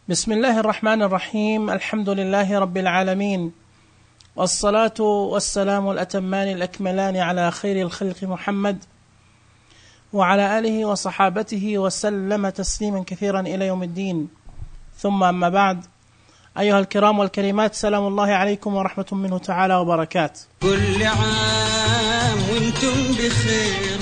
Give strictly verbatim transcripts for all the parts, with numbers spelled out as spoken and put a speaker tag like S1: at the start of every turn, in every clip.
S1: بسم الله الرحمن الرحيم. الحمد لله رب العالمين، والصلاة والسلام الأتمان الأكملان على خير الخلق محمد وعلى آله وصحابته وسلم تسليما كثيرا إلى يوم الدين. ثم أما بعد، أيها الكرام والكريمات، سلام الله عليكم ورحمة منه تعالى وبركاته.
S2: كل عام وانتم بخير،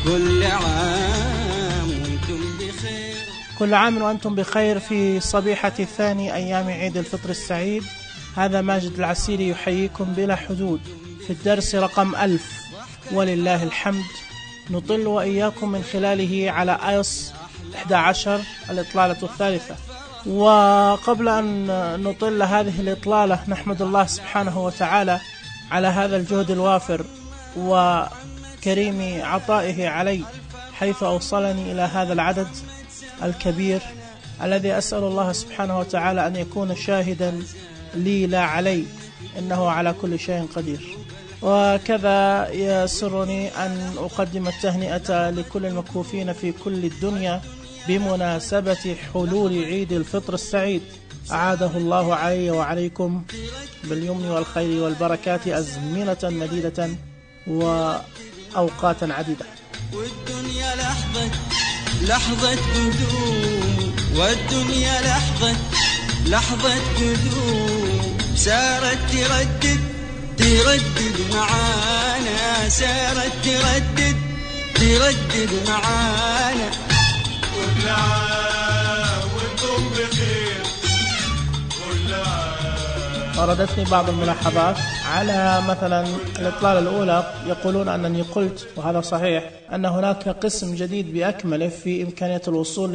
S2: كل عام وانتم بخير،
S1: كل عام وأنتم بخير في صبيحة الثاني أيام عيد الفطر السعيد. هذا ماجد العسيري يحييكم بلا حدود في الدرس رقم ألف ولله الحمد، نطل وإياكم من خلاله على آيوس إحدى عشر الإطلالة الثالثة. وقبل أن نطل هذه الإطلالة، نحمد الله سبحانه وتعالى على هذا الجهد الوافر وكريم عطائه علي، حيث أوصلني إلى هذا العدد الكبير الذي أسأل الله سبحانه وتعالى أن يكون شاهدا لي لا علي، إنه على كل شيء قدير. وكذا يسرني أن أقدم التهنئة لكل المكفوفين في كل الدنيا بمناسبة حلول عيد الفطر السعيد. أعاده الله علي وعليكم باليمن والخير والبركات أزمنة مديدة وأوقاتا عديدة.
S2: والدنيا لحظة لحظة قدوم، والدنيا لحظة لحظة قدوم، سارت تردد تردد معانا، سارت تردد تردد معانا.
S3: كل عام وانتم بخير، كل عام.
S1: وردتني بعض الملاحظات على مثلا الإطلالة الأولى، يقولون أنني قلت، وهذا صحيح، أن هناك قسم جديد بأكمله في إمكانية الوصول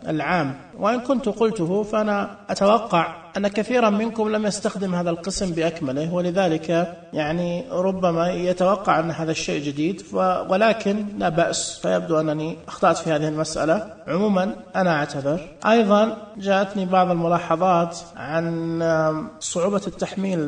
S1: العام، وإن كنت قلته فأنا أتوقع أن كثيرا منكم لم يستخدم هذا القسم بأكمله، ولذلك يعني ربما يتوقع أن هذا الشيء جديد، ولكن لا بأس، فيبدو أنني أخطأت في هذه المسألة. عموما أنا أعتذر. أيضا جاءتني بعض الملاحظات عن صعوبة التحميل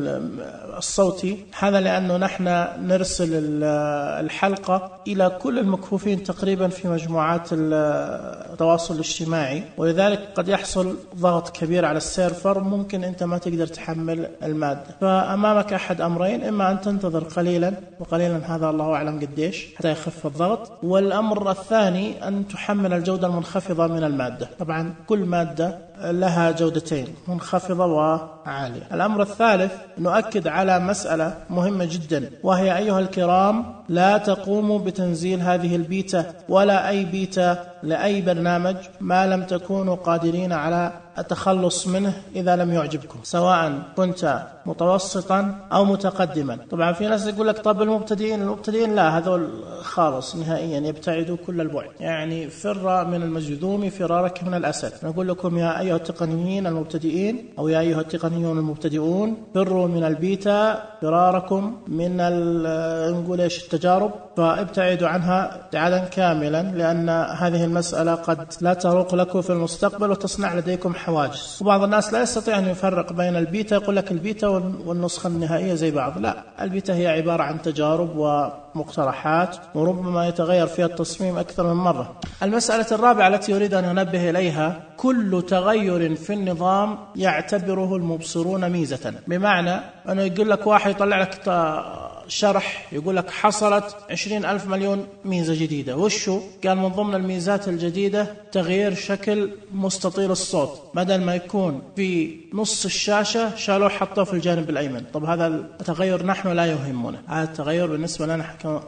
S1: الصوتي، هذا لأنه نحن نرسل الحلقة إلى كل المكفوفين تقريبا في مجموعات التواصل الاجتماعي، ولذلك قد يحصل ضغط كبير على السيرفر، ممكن أنت ما تقدر تحمل المادة. فأمامك أحد أمرين، إما أن تنتظر قليلا، وقليلا هذا الله أعلم قديش، حتى يخف الضغط، والأمر الثاني أن تحمل الجودة المنخفضة من المادة. طبعا كل مادة لها جودتين، منخفضة وعالية. الأمر الثالث، نؤكد على مسألة مهمة جدا، وهي أيها الكرام، لا تقوموا بتنزيل هذه البيتا ولا أي بيتا لأي برنامج ما لم تكونوا قادرين على التخلص منه إذا لم يعجبكم، سواء كنت متوسطا أو متقدما. طبعا في ناس يقول لك طب المبتدئين المبتدئين لا، هذول خالص نهائيا يبتعدوا كل البعد، يعني فر من المجذوم فرارك من الأسد. نقول لكم يا أيها التقنيين المبتدئين، أو يا أيها التقنيون المبتدئون، فروا من البيتا فراركم من نقول إيش التجارب، فابتعدوا عنها ابتعادا كاملا، لأن هذه المسألة قد لا تروق لكم في المستقبل وتصنع لديكم حواجز. وبعض الناس لا يستطيع أن يفرق بين البيتا، يقول لك البيتا والنسخة النهائية زي بعض. لا، البيتا هي عبارة عن تجارب ومقترحات، وربما يتغير فيها التصميم أكثر من مرة. المسألة الرابعة التي يريد أن ينبه إليها، كل تغير في النظام يعتبره المبصرون ميزة، بمعنى أنه يقول لك واحد يطلع لك شرح يقول لك حصلت عشرين ألف مليون ميزة جديدة. وشو قال؟ من ضمن الميزات الجديدة تغيير شكل مستطيل الصوت، بدل ما يكون في نص الشاشة شالوه حطوه في الجانب الأيمن. طب هذا التغير نحن لا يهمنا، هذا التغير بالنسبة لنا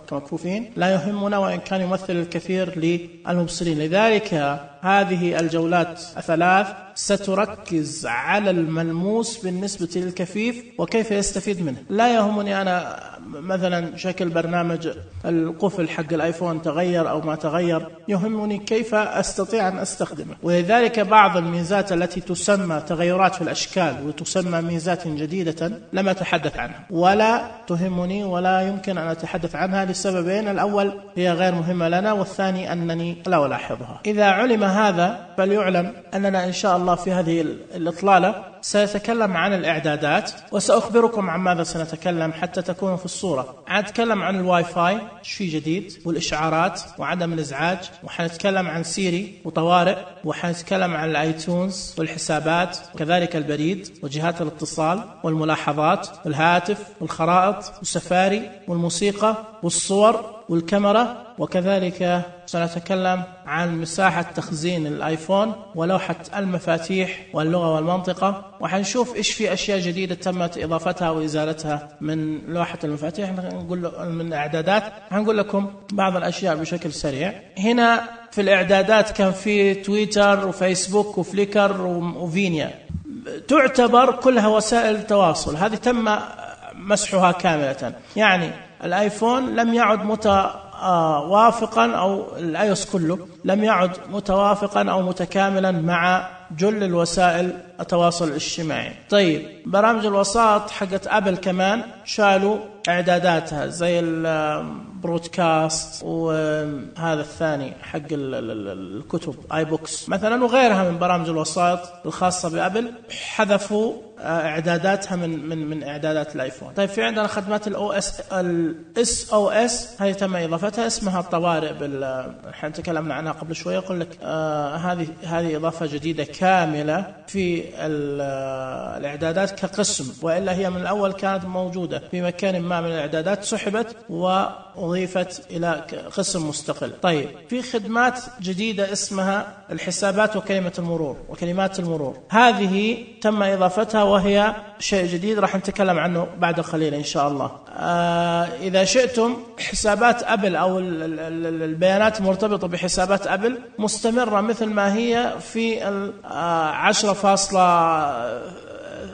S1: كمكفوفين لا يهمنا، وإن كان يمثل الكثير للمبصرين. لذلك هذه الجولات الثلاث ستركز على الملموس بالنسبة للكفيف وكيف يستفيد منه. لا يهمني أنا مثلا شكل برنامج القفل حق الآيفون تغير أو ما تغير، يهمني كيف أستطيع أن أستخدمه. ولذلك بعض الميزات التي تسمى تغيرات في الأشكال وتسمى ميزات جديدة لم أتحدث عنها، ولا تهمني ولا يمكن أن أتحدث عنها لسببين: الأول هي غير مهمة لنا، والثاني أنني لا ألاحظها. إذا علم هذا فليعلم أننا إن شاء الله في هذه الإطلالة سأتكلم عن الإعدادات وسأخبركم عن ماذا سنتكلم حتى تكونوا في الصورة. حنتكلم عن الواي فاي شيء جديد والإشعارات وعدم الإزعاج، وحنتكلم عن سيري وطوارئ، وحنتكلم عن الآيتونز والحسابات وكذلك البريد وجهات الاتصال والملاحظات والهاتف والخرائط والسفاري والموسيقى والصور والكاميرا، وكذلك سنتكلم عن مساحة تخزين الآيفون ولوحة المفاتيح واللغة والمنطقة، وحنشوف إيش في أشياء جديدة تمت إضافتها وإزالتها من لوحة المفاتيح. نقول من إعدادات هنقول لكم بعض الأشياء بشكل سريع. هنا في الإعدادات كان في تويتر وفيسبوك وفليكر وفينيا، تعتبر كلها وسائل تواصل. هذه تم مسحها كاملة، يعني الآيفون لم يعد متوافقا أو الآيوس كله لم يعد متوافقا أو متكاملا مع جل الوسائل التواصل الاجتماعي. طيب برامج الوساط حقت أبل كمان شالوا إعداداتها زي البرودكاست وهذا الثاني حق الكتب آي بوكس مثلا وغيرها من برامج الوساط الخاصة بأبل، حذفوا إعداداتها من من من إعدادات الآيفون. طيب في عندنا خدمات الأو إس الإس أو إس، هذه تم إضافتها، اسمها الطوارئ بال احنا تكلمنا عنها قبل شوية. أقول لك آه هذه هذه إضافة جديدة كاملة في الإعدادات كقسم، وإلا هي من الأول كانت موجودة في مكان ما من الإعدادات، سحبت وأضيفت إلى قسم مستقل. طيب في خدمات جديدة اسمها الحسابات وكلمة المرور وكلمات المرور، هذه تم إضافتها وهي شيء جديد راح نتكلم عنه بعد قليل إن شاء الله. آه إذا شئتم حسابات أبل أو البيانات المرتبطة بحسابات أبل مستمرة مثل ما هي في عشرة فاصلة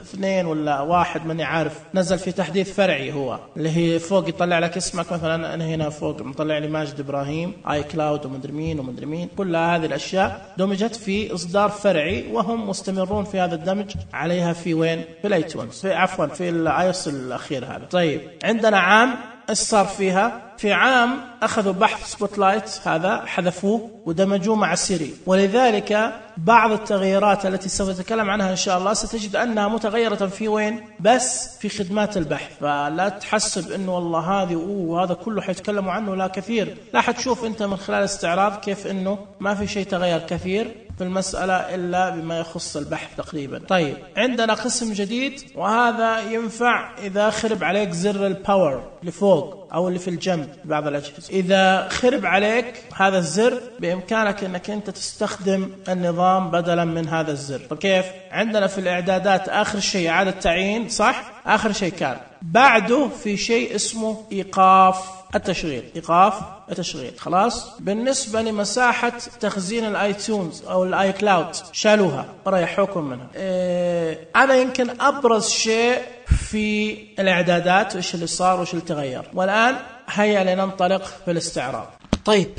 S1: اثنين ولا واحد ماني عارف، نزل في تحديث فرعي هو اللي هي فوق يطلع لك اسمك مثلا، أنا هنا فوق مطلع لي ماجد إبراهيم آي كلاود ومدري مين ومدري مين، كل هذه الأشياء دمجت في إصدار فرعي وهم مستمرون في هذا الدمج عليها في وين؟ في الايتونز، في عفوا في الايوس الأخير هذا. طيب عندنا عام ايش صار فيها؟ في عام أخذوا بحث سبوت لايت هذا حذفوه ودمجوه مع سيري، ولذلك بعض التغييرات التي سوف نتكلم عنها إن شاء الله ستجد أنها متغيرة في وين؟ بس في خدمات البحث. فلا تحسب إنه والله هذه أوه هذا كله حيتكلموا عنه لا كثير، لا حتشوف أنت من خلال استعراض كيف إنه ما في شيء تغير كثير في المسألة إلا بما يخص البحث تقريبا. طيب عندنا قسم جديد، وهذا ينفع إذا خرب عليك زر الباور اللي فوق أو اللي في الجنب بعض الأجهزة، إذا خرب عليك هذا الزر بإمكانك أنك أنت تستخدم النظام بدلا من هذا الزر. طب كيف؟ عندنا في الإعدادات آخر شيء إعادة تعيين، صح؟ آخر شيء كان بعده في شيء اسمه إيقاف التشغيل، إيقاف التشغيل. خلاص بالنسبة لمساحة تخزين الآيتونز أو الآي كلاود شالوها وريحوكم منها. إيه هذا يمكن أبرز شيء في الإعدادات، وإيش اللي صار وإيش اللي تغير. والآن هيا لننطلق في الاستعراض. طيب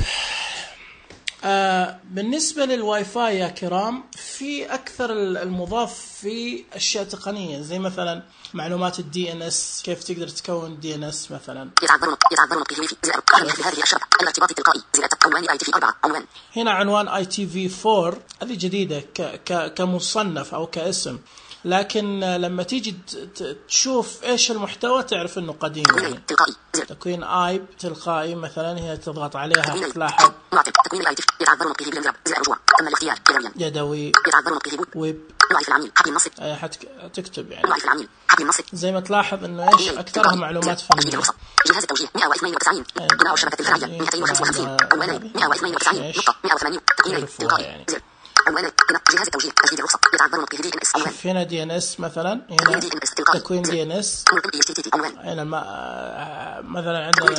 S1: آه بالنسبة للواي فاي يا كرام، في أكثر المضاف في أشياء تقنية زي مثلا معلومات الدي ان اس، كيف تقدر تكون دي ان اس مثلا. هنا عنوان اي تي في أربعة، هذه جديدة كمصنف أو كاسم، لكن لما تيجي تشوف ايش المحتوى تعرف انه قديم. يعني تكوين ايب تلقائي مثلا، هي تضغط عليها تلاحظ يدوي ويب، حتكتب يعني زي ما تلاحظ انه ايش اكثرها معلومات فنية. جهاز التوجيه مئة واثنين وتسعين بناء الشبكة الفرعية مئتين وخمسة وخمسين عنوان مئة واثنين وتسعين نقطة مئة وثمانين تقييم تلقائي عنوان جهاز التوجيه تسجيل الرخصة يتعذر به دي ان اس عنوان. هنا دي ان اس مثلا، هنا تكوين دي ان اس، هنا مثلا عندنا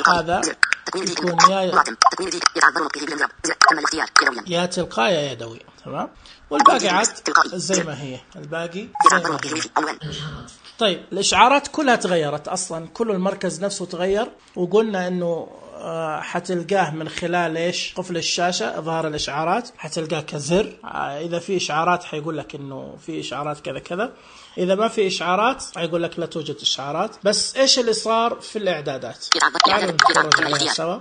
S1: هذا يكون يا يا تلقائي يا يدوي، تمام، والباقي عاد زي ما هي، الباقي زي ما هي. طيب الإشعارات كلها تغيرت أصلا، كل المركز نفسه تغير، وقلنا إنه حتلقاه من خلال إيش قفل الشاشة إظهار الإشعارات، حتلقاه كزر. إذا في إشعارات حيقول لك إنه في إشعارات كذا كذا، إذا ما في إشعارات حيقول لك لا توجد إشعارات. بس إيش اللي صار في الإعدادات؟ تعالوا نتفرج عليها سوا.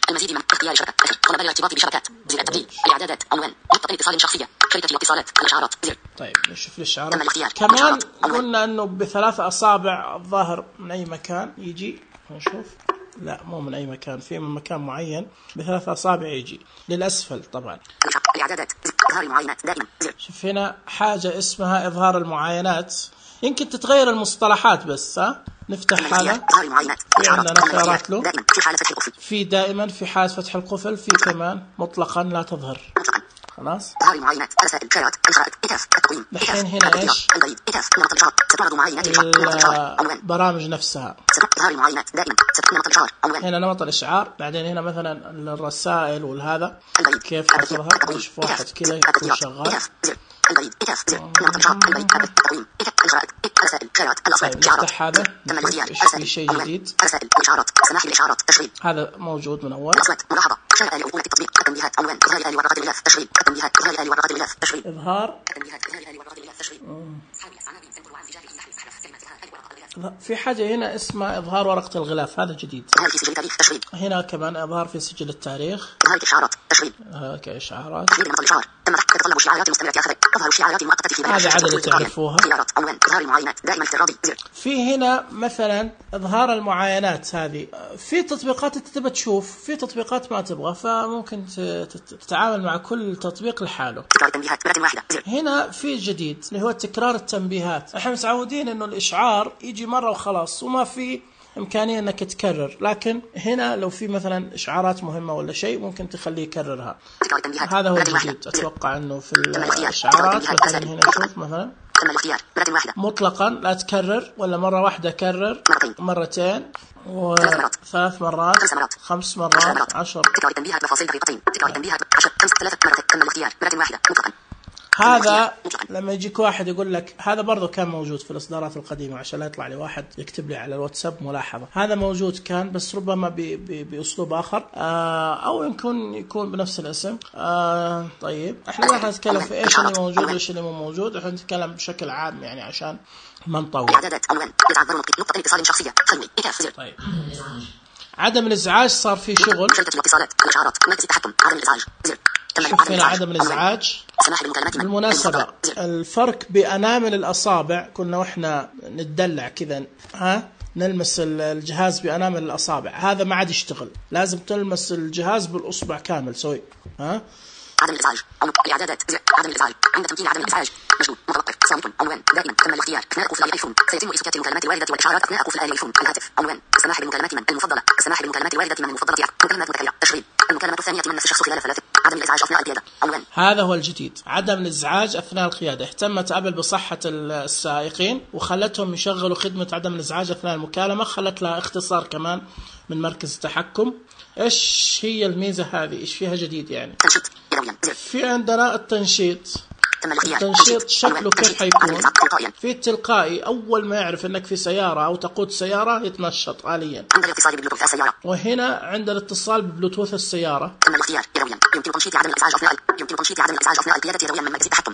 S4: المزيد من اختيار شبكة طلب الارتباط بشبكات زر التبديل الإعدادات عنوان نقطة اتصال شخصية شركة الاتصالات الإشعارات زر.
S1: طيب نشوف الإشعارات. كمان قلنا إنه بثلاث أصابع الظاهر من أي مكان يجي، نشوف. لا مو من أي مكان، في من مكان معين بثلاث أصابع يجي للأسفل طبعا.
S4: الإعدادات إظهار المعاينات دائما زر.
S1: شوف هنا حاجة اسمها إظهار المعاينات، يمكن تتغير المصطلحات بس. ها نفتح هذا، في عندنا خيارات له، في دائما، في حالة فتح القفل، في كمان مطلقا لا تظهر. خلاص الحين هنا ايش البرامج نفسها. هنا نمط الاشعار، بعدين هنا مثلا الرسائل والهذا كيف تظهر. نشوف واحد كذا يكون شغال. نفتح هذا نشوف في شيء جديد. هذا موجود من أول. إظهار في حاجة هنا اسمها إظهار ورقة الغلاف، هذا جديد. هنا كمان إظهار في سجل التاريخ كإشعارات. هذا عدد تعرفوها. في هنا مثلا إظهار المعاينات، هذه في تطبيقات انت تبى تشوف، في تطبيقات ما تبغى، فممكن تتعامل مع كل تطبيق لحاله. هنا في جديد اللي هو تكرار التنبيهات. احنا متعودين انه الإشعار يجي مرة وخلاص وما في إمكانية أنك تكرر، لكن هنا لو في مثلا إشعارات مهمة ولا شيء ممكن تخليه يكررها. هذا هو الجديد. أتوقع أنه في الإشعارات مثلا هنا شوف مثلا مطلقا لا تكرر، ولا مرة واحدة كرر، مرتين وثلاث مرات، خمس مرات، عشر. هذا لما يجيك واحد يقول لك، هذا برضو كان موجود في الإصدارات القديمة عشان لا يطلع لي واحد يكتب لي على الواتساب ملاحظة. هذا موجود كان بس ربما بأسلوب آخر، أو يمكن يكون بنفس الاسم. طيب احنا ما حنتكلم في ايش اللي موجود وايش اللي مو موجود، احنا نتكلم بشكل عام يعني عشان ما نطول. طيب عدم الإزعاج صار في شغل. شوف هنا عدم الإزعاج. بالمناسبة الفرق بأنامل الأصابع، كنا وإحنا نتدلع كذا ها نلمس الجهاز بأنامل الأصابع، هذا ما عاد يشتغل، لازم تلمس الجهاز بالأصبع كامل سوي. ها
S4: عدم الإزعاج الإعدادات عدم الإزعاج عند تمكين عدم الإزعاج مشغول متوقف صامت عنوان دائما تم الاختيار أثناء قفل الآيفون سيتم إسكات المكالمات الواردة والإشعارات أثناء قفل الآيفون الهاتف عنوان السماح بالمكالمات من المفضلة السماح بالمكالمات الواردة من المفضلة مكالمات متكررة تشغيل المكالمات الثانية من نفس الشخص خلال ثلاث عدم الإزعاج أثناء القيادة عنوان.
S1: هذا هو الجديد، عدم الإزعاج أثناء القيادة. اهتمت أبل بصحة السائقين وخلتهم يشغلوا خدمة عدم الإزعاج أثناء المكالمة، خلت لها اختصار كمان من مركز التحكم. إيش هي الميزة هذه؟ إيش فيها جديد يعني؟ في عندنا التنشيط. التنشيط شكله كيف حيكون؟ في التلقائي، أول ما يعرف أنك في سيارة أو تقود سيارة يتنشط آليا. وهنا عند الاتصال ببلوتوث السيارة.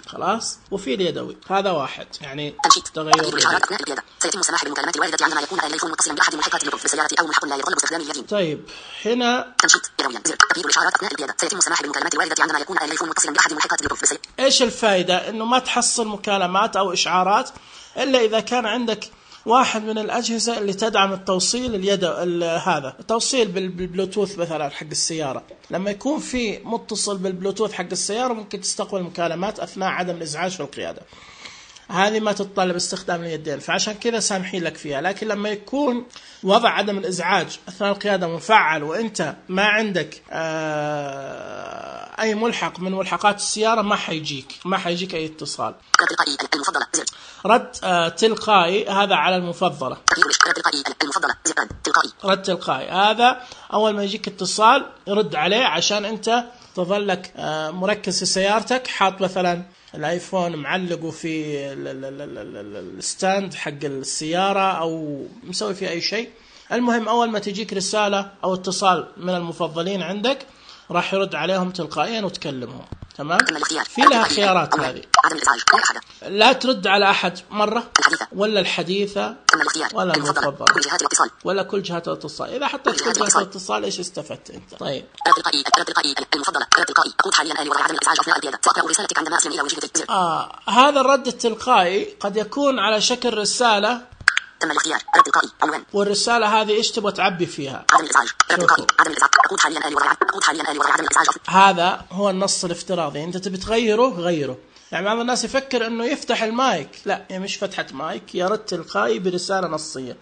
S1: خلاص. وفي اليدوي، هذا واحد يعني تغير.
S4: سيتم السماح بالمكالمات الواردة عندما يكون التليفون متصلا بأحد محركات البلوتوث بالسيارة أو محرك لا يتطلب استخدام اليدين.
S1: طيب هنا
S4: تنشيط يدويا زر تبييض الإشعارات أثناء القيادة. سيتم السماح بالمكالمات الواردة عندما يكون التليفون متصلا بأحد محركات البلوتوث بالسيارة.
S1: إيش الفائدة؟ إنه ما تحصل مكالمات أو إشعارات إلا إذا كان عندك واحد من الأجهزة اللي تدعم التوصيل اليد هذا التوصيل بالبلوتوث مثلا حق السيارة. لما يكون في متصل بالبلوتوث حق السيارة ممكن تستقبل مكالمات أثناء عدم الإزعاج في القيادة. هذه ما تتطلب استخدام اليدين، فعشان كذا سامحين لك فيها. لكن لما يكون وضع عدم الإزعاج أثناء القيادة مفعل وأنت ما عندك أي ملحق من ملحقات السيارة ما حيجيك ما حيجيك أي اتصال. رد تلقائي هذا على المفضلة. رد تلقائي هذا أول ما يجيك اتصال رد عليه، عشان أنت تظلك مركز في سيارتك، حاط مثلا الايفون معلقه في الستاند حق السيارة او مسوي فيه اي شيء، المهم أول ما تجيك رسالة أو اتصال من المفضلين عندك راح يرد عليهم تلقائيا وتكلمهم. تمام. في لها خيارات هذه، لا ترد على أحد مرة، ولا الحديثة، ولا المفضلة، ولا كل جهات الاتصال. إذا حطيت كل جهات الاتصال إيش استفدت أنت؟ طيب آه هذا الرد التلقائي قد يكون على شكل رسالة،
S4: تم الاختيار رد تلقائي عنوان،
S1: والرسالة هذه إيش تبغى تعبي فيها؟
S4: عدم الإزعاج رد تلقائي عدم الإزعاج أقود حاليا آلي وضع أقود حاليا آلي وضع عدم الإزعاج.
S1: هذا هو النص الافتراضي، أنت تبي تغيره غيره. يعني بعض الناس يفكر إنه يفتح المايك، لا هي مش فتحة مايك، يا رد تلقائي برسالة نصية.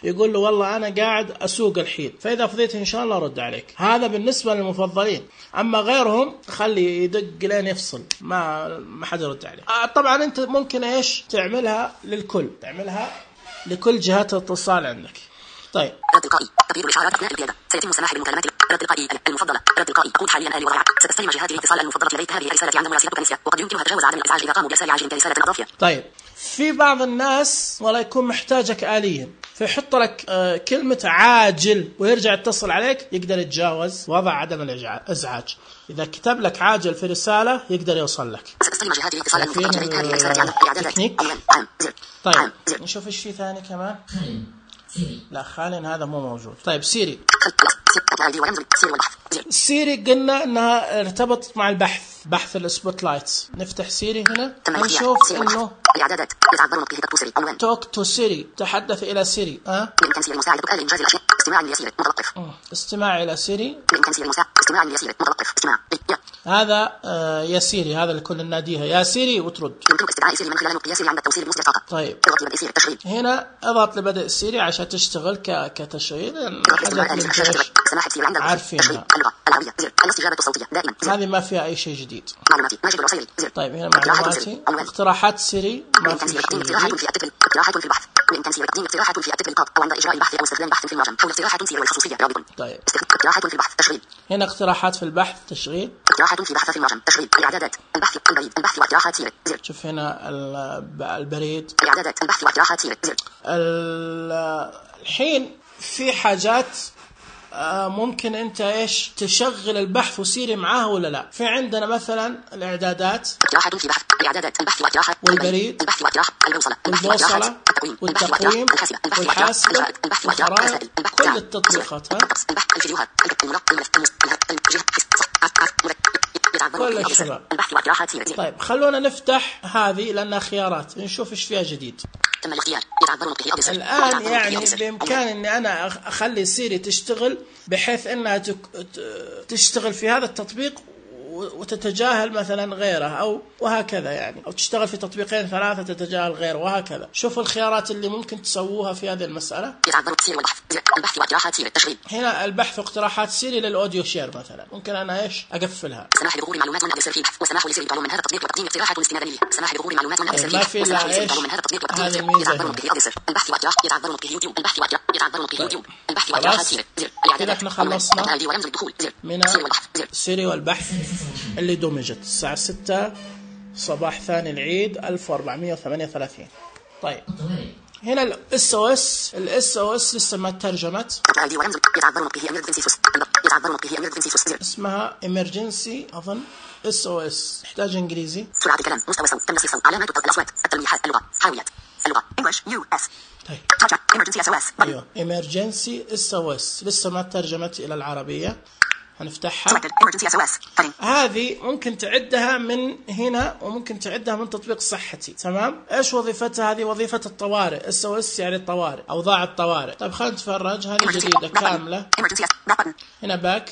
S1: يقول له والله أنا قاعد أسوق الحين، فإذا فضيت إن شاء الله رد عليك. هذا بالنسبة للمفضلين. أما غيرهم خلي يدق لين يفصل، ما ما حد يرد عليه. آه طبعا أنت ممكن إيش تعملها للكل، تعملها لكل جهات الاتصال عندك. طيب
S4: رد تلقائي تغيير الإشعارات أثناء القيادة، سيتم السماح بمكالمات رد تلقائي المفضلة رد تلقائي أقود حاليا آلي وضع ستستلم جهات الاتصال المفضلة لديك هذه الرسالة عند مراسلتك نسية، وقد يمكنها تجاوز عدم الإزعاج إذا قاموا برسالة عاجل كرسالة إضافية.
S1: طيب في بعض الناس والله يكون محتاجك آليا، فيحط لك آه كلمة عاجل ويرجع يتصل عليك، يقدر يتجاوز وضع عدم الإزعاج. إذا كتب لك عاجل في رسالة يقدر يوصل لك.
S4: ستستلم جهات الاتصال المفضلة لديك هذه الرسالة عند إعدادات عنوان عام زر.
S1: طيب نشوف إيش في ثاني كمان. لا خالن هذا مو موجود. طيب سيري سيري قلنا انها ارتبطت مع البحث، بحث السبوت لايتس. نفتح سيري هنا نشوف انه
S4: الاعدادات يتعذر به سيري عنوان
S1: توك تو سيري، تحدث الى سيري. ها
S4: بامكان سيري المساعد آلي انجاز الاشياء، استماع ليسير متوقف،
S1: استماع الى سيري
S4: بامكان سيري المساعد استماع ليسير متوقف، استماع
S1: هذا آه يا سيري، هذا اللي كنا نناديها يا سيري وترد.
S4: يمكنك استدعاء سيري من خلال القياس عند التوصيل المصدر فقط.
S1: طيب
S4: اضغط لبدء سيري التشغيل،
S1: هنا اضغط لبدء سيري عشان تشتغل ك كتشغيل.
S4: سماحة سيري عند
S1: عارفينها.
S4: اللغة العربية زر الاستجابة الصوتية دائما،
S1: هذه ما فيها اي شيء جديد.
S4: معلوماتي ماجد العصيري زر.
S1: طيب هنا معلوماتي اقتراحات سيري، ما في شيء جديد.
S4: اقتراحات في التكل اقتراحات في البحث، بإمكان سيري تقديم اقتراحات في التكل او عند اجراء البحث او استخدام بحث في المعجم حول اقتراحات سيري والخصوصية رابط.
S1: طيب
S4: اقتراحات في البحث تشغيل،
S1: هنا اقتراحات في البحث تشغيل،
S4: اقتراحات في بحث في المعجم تشغيل، الاعدادات البحث البريد البحث واقتراحات سيري زر.
S1: شوف هنا البريد
S4: الاعدادات البحث واقتراحات سيري زر.
S1: الحين في حاجات ممكن انت ايش تشغل البحث وسيري معاه ولا لا. في عندنا مثلا الاعدادات،
S4: اقتراحات في بحث الاعدادات البحث واقتراحات،
S1: والبريد
S4: البحث واقتراحات، البوصلة
S1: والبوصلة والتقويم والحاسبة والخرائط، كل التطبيقات ها
S4: الفيديوهات
S1: كل الشباب. طيب خلونا نفتح هذه لأنها خيارات نشوف ايش فيها جديد.
S4: تم الاختيار
S1: الآن يعني بإمكان أني أنا أخلي سيري تشتغل بحيث أنها تشتغل في هذا التطبيق وتتجاهل مثلا غيره أو وهكذا، يعني أو تشتغل في تطبيقين ثلاثة تتجاهل غيره وهكذا. شوفوا الخيارات اللي ممكن تسووها في هذه المسألة.
S4: البحث واقتراحات سيري التشغيل،
S1: هنا البحث واقتراحات سيري للأوديو شير مثلا، ممكن أنا إيش أقفلها.
S4: سماح بظهور معلومات من أدرس الفيد وسماح لسيري تعلم من هذا التطبيق وتقديم اقتراحات استنادا لها. سماح بظهور معلومات من أدرس الفيد وسماح لسيري تعلم من هذا التطبيق وتقديم يتعذر به أدرس البحث واقتراحات يتعذر به يوتيوب البحث واقتراحات يتعذر به يوتيوب البحث واقتراحات سيري زر.
S1: كده احنا خلصنا من سيري والبحث اللي دمجت الساعة ستة صباح ثاني العيد ألف وأربعمائة وثمانية وثلاثين. طيب هنا الاس او اس الاس او اس لسه ما ترجمت، اسمها emergency اظن اس او اس، يحتاج انجليزي.
S4: سرعة الكلام، مستوى صوت، تنسيق صوت، علامات الاصوات، التلميحات، اللغة، حاويات، اللغة English يو إس.
S1: طيب
S4: emergency اس او اس.
S1: ايوه emergency اس او اس لسه ما ترجمت الى العربية. هنفتحها. هذه ممكن تعدها من هنا وممكن تعدها من تطبيق صحتي. تمام. ايش وظيفتها؟ هذه وظيفة الطوارئ. اس او اس يعني الطوارئ، اوضاع الطوارئ. طيب خلينا نتفرج. هذه جديدة كاملة. هنا باك،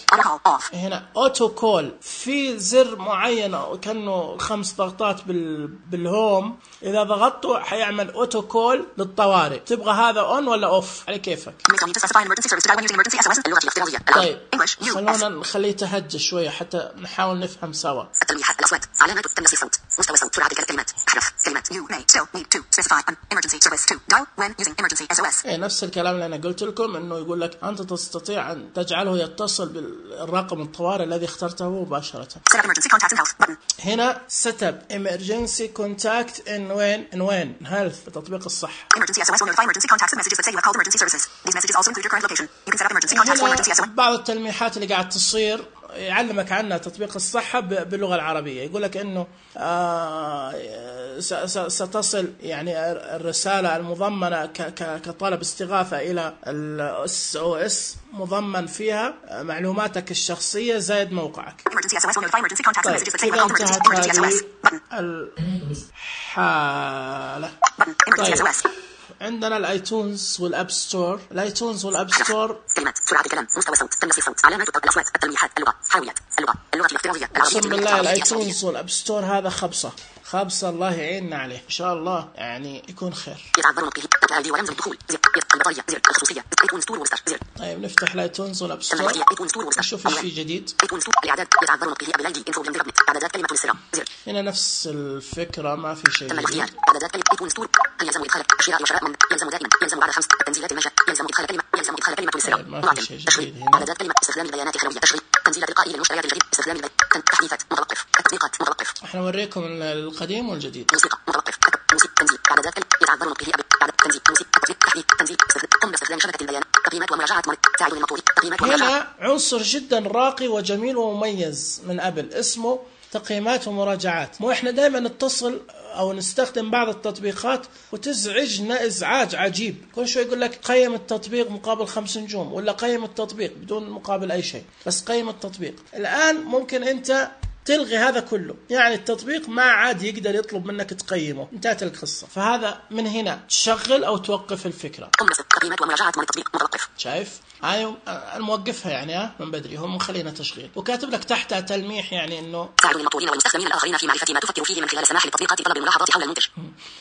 S1: هنا اوتو كول. في زر معين كأنه خمس ضغطات بال... بالهوم، اذا ضغطته حيعمل اوتو كول للطوارئ. تبغى هذا اون ولا اوف على كيفك. طيب خلونا نخليه يتهجى شوية حتى نحاول نفهم سوا.
S4: التلميحات، الأصوات، علامات تنسيق صوت، مستوى صوت، سرعة الكلمات، أحرف كلمات. You may still need to specify an emergency service to dial when when using emergency إس أو إس.
S1: إيه نفس الكلام اللي أنا قلت لكم، إنه يقول لك أنت تستطيع أن تجعله يتصل بالرقم الطوارئ الذي اخترته مباشرة.
S4: Set up emergency contact in health button.
S1: هنا set up emergency contact in when in when health تطبيق الصحة.
S4: Emergency إس أو إس will notify emergency contacts with messages that say you have called emergency services. These messages also include your current location. You can set up emergency contacts for emergency إس أو إس.
S1: بعض التلميحات اللي قاعد تصير يعلمك عنها تطبيق الصحة باللغة العربية. يقول لك إنه آه ستصل يعني الرسالة المضمنة كطلب استغاثة إلى الإس أو إس مضمن فيها معلوماتك الشخصية زائد موقعك.
S4: Emergency إس أو إس will notify emergency contacts with messages that say you
S1: إذا
S4: have called emergency إس أو إس.
S1: الحالة. طيب عندنا الايتونز والاب ستور. الايتونز والاب ستور
S4: كلمات سرعة الكلام مستوى الصوت تنسيق الصوت علامات الاصوات التلميحات اللغة حاويات اللغة اللغة الافتراضية
S1: اقسم بالله الايتونز والاب ستور هذا خبصة خبصة الله يعيننا عليه ان شاء الله، يعني يكون خير.
S4: يتعذرون به التعدي ورمز الدخول زر البطارية زر الخصوصية ايتون ستور وستار زر.
S1: طيب نفتح الايتونز والاب ستور نشوف ايش في جديد.
S4: ايتون ستور الاعداد يتعذرون به ابلايدي انفو بلندر اعدادات كلمة السر زر.
S1: هنا نفس الفكرة ما في شيء جديد.
S4: اعدادات كلمة ايتون ستور يلزم ادخال اشياء وشراء من يلزم دائما يلزم بعد خمس التنزيلات المنشأ يلزم ادخال كلمة يلزم ادخال كلمة السر.
S1: ما في شيء جديد هنا.
S4: اعدادات كلمة استخدام البيانات الخلوية تشغيل تنزيل تلقائي للمشتريات الجديد استخدام تحديثات متوقف التطبيقات متوقف.
S1: احنا نوريكم القديم والجديد.
S4: موسيقى متوقف موسيقى تنزيل اعدادات كلمة يتعذرون به بعد تنزيل موسيقى تطبيق تحديث تنزيل قم باستخدام شبكة البيانات تقييمات ومراجعة ساعد للمطلوب تقييمات ومراجعة.
S1: هنا عنصر جدا راقي وجميل ومميز من ابل اسمه تقييمات ومراجعات. مو احنا دائما نتصل او نستخدم بعض التطبيقات وتزعجنا ازعاج عجيب، كل شوي يقول لك قيم التطبيق مقابل خمس نجوم ولا قيم التطبيق بدون مقابل اي شيء، بس قيم التطبيق. الان ممكن انت تلغي هذا كله، يعني التطبيق ما عاد يقدر يطلب منك تقيمه، انتهت القصة. فهذا من هنا تشغل او توقف الفكرة.
S4: تقييمات ومراجعات التطبيق متوقف.
S1: شايف؟ هاي الموقفها يعني ها من بدري هم مخلينا تشغيل، وكاتب لك تحتها تلميح يعني انه
S4: ساعد المطورين والمستخدمين الاخرين في معرفة ما تفكر فيه من خلال سماح للتطبيقات طلب الملاحظات حول المنتج.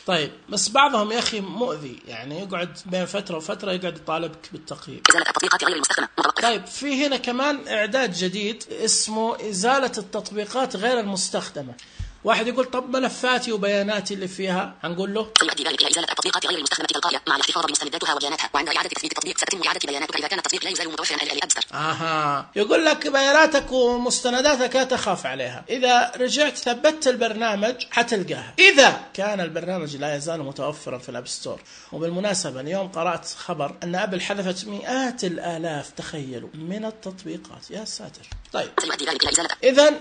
S1: طيب بس بعضهم يا اخي مؤذي، يعني يقعد بين فترة وفترة يقعد يطالبك بالتقييم.
S4: ازالة التطبيقات غير المستخدمة متوقف.
S1: طيب في هنا كمان اعداد جديد اسمه ازالة التطبيقات غير المستخدمة. واحد يقول طب ملفاتي وبياناتي اللي فيها، هنقول له
S4: سيؤدي ذلك الى ازاله التطبيقات غير المستخدمه تلقائيا مع الاحتفاظ بمستنداتها وبياناتها، وعند اعاده تثبيت التطبيق ستتم اعاده بياناتك اذا كان التطبيق لا يزال متوفرا الى الابد.
S1: اها يقول لك بياناتك ومستنداتك لا تخاف عليها، اذا رجعت ثبتت البرنامج حتلقاها، اذا كان البرنامج لا يزال متوفرا في الاب ستور. وبالمناسبه اليوم قرات خبر ان ابل حذفت مئات الالاف تخيلوا من التطبيقات، يا ساتر. طيب
S4: سيؤدي ذلك الى ازاله
S1: اذا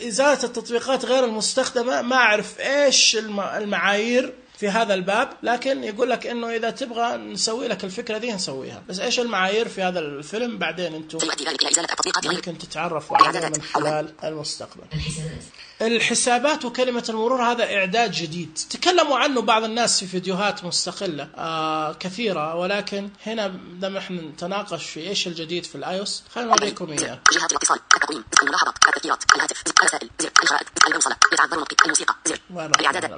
S1: إزالة التطبيقات غير المستخدمة ما أعرف إيش المعايير في هذا الباب، لكن يقول لك إنه إذا تبغى نسوي لك الفكرة دي نسويها، بس إيش المعايير في هذا الفيلم بعدين أنتم ممكن تتعرفوا عليها من خلال المستقبل. الحسابات وكلمة المرور هذا إعداد جديد تكلموا عنه بعض الناس في فيديوهات مستقلة آه كثيرة، ولكن هنا لما احنا نتناقش في إيش الجديد في الآيوس خلينا نوريكم إياه.
S4: جهات الاتصال التقويم الملاحظات التذكيرات الهاتف الرسائل زر الخرائط البوصلة يتعذرون الموسيقى زر الإعدادات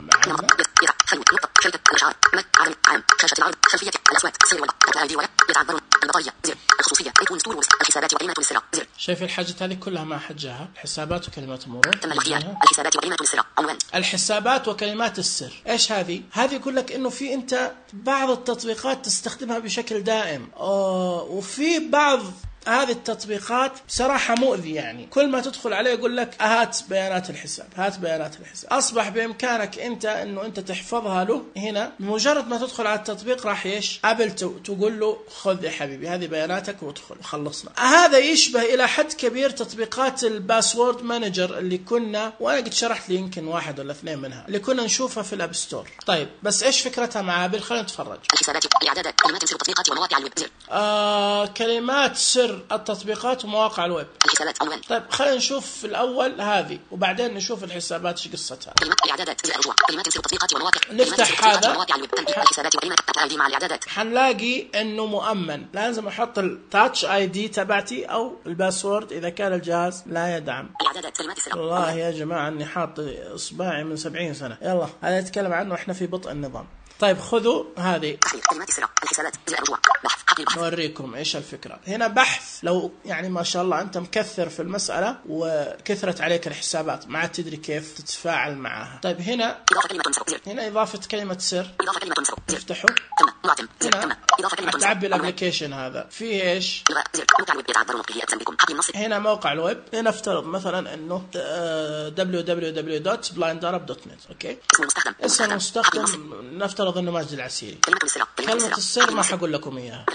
S4: خلوة نقطة شركة الأشعار مد عالم عام شاشة العرض خلفية الأصوات سير ولا الأيدي ولا يتعذرون البطارية زر الخصوصية ايتون ستور الحسابات وكلمات السر زر. شايف
S1: الحاجات هذه كلها ما حجها، الحسابات وكلمات المرور
S4: تم الاختيار الحسابات وكلمات السر عنوان
S1: الحسابات وكلمات السر. ايش هذه؟ هذه يقول لك انه في انت بعض التطبيقات تستخدمها بشكل دائم أوه وفي بعض هذه التطبيقات بصراحة مؤذي، يعني كل ما تدخل عليه يقول لك هات بيانات الحساب هات بيانات الحساب. أصبح بإمكانك أنت أنه أنت تحفظها له هنا، بمجرد ما تدخل على التطبيق راح يش أبل تقول له خذ يا حبيبي هذه بياناتك وادخل وخلصنا. هذا يشبه إلى حد كبير تطبيقات الباسورد مانجر اللي كنا، وأنا قد شرحت لي يمكن واحد ولا اثنين منها اللي كنا نشوفها في الأب ستور. طيب بس إيش فكرتها مع أبل؟ خلينا نتفرج.
S4: الحسابات الإعدادات كلمات سر التطبيقات ومواقع الويب زر
S1: آه كلمات سر التطبيقات ومواقع الويب.
S4: الحسابات عنوان.
S1: طيب خلينا نشوف في الأول هذه وبعدين نشوف الحسابات ايش قصتها.
S4: كلمات الإعدادات زر الرجوع كلمات سر التطبيقات ومواقع.
S1: نفتح هذا
S4: ومواقع الويب الحسابات وكلمات التعدي مع الإعدادات.
S1: حنلاقي إنه مؤمن، لازم أحط التاتش آي دي تبعتي أو الباسورد إذا كان الجهاز لا يدعم.
S4: الإعدادات كلمات السر.
S1: والله يا جماعة إني حاط إصبعي من سبعين سنة. يلا هذا نتكلم عنه إحنا في بطء النظام. طيب خذوا هذه
S4: تحرير كلمات السر الحسابات زر الرجوع بحث
S1: نوريكم إيش الفكرة. هنا بحث، لو يعني ما شاء الله أنت مكثر في المسألة وكثرت عليك الحسابات ما عاد تدري كيف تتفاعل معها. طيب هنا هنا إضافة كلمة سر، تفتحه هنا تعبي الابليكيشن هذا فيه إيش؟ هنا موقع الويب، هنا افترض مثلا إنه دبليو دبليو دبليو دوت بلايند أرب دوت نت. أوكي، اسم المستخدم نفترض إنه ماجد العسيري. كلمة السر ما حقول لكم إياها.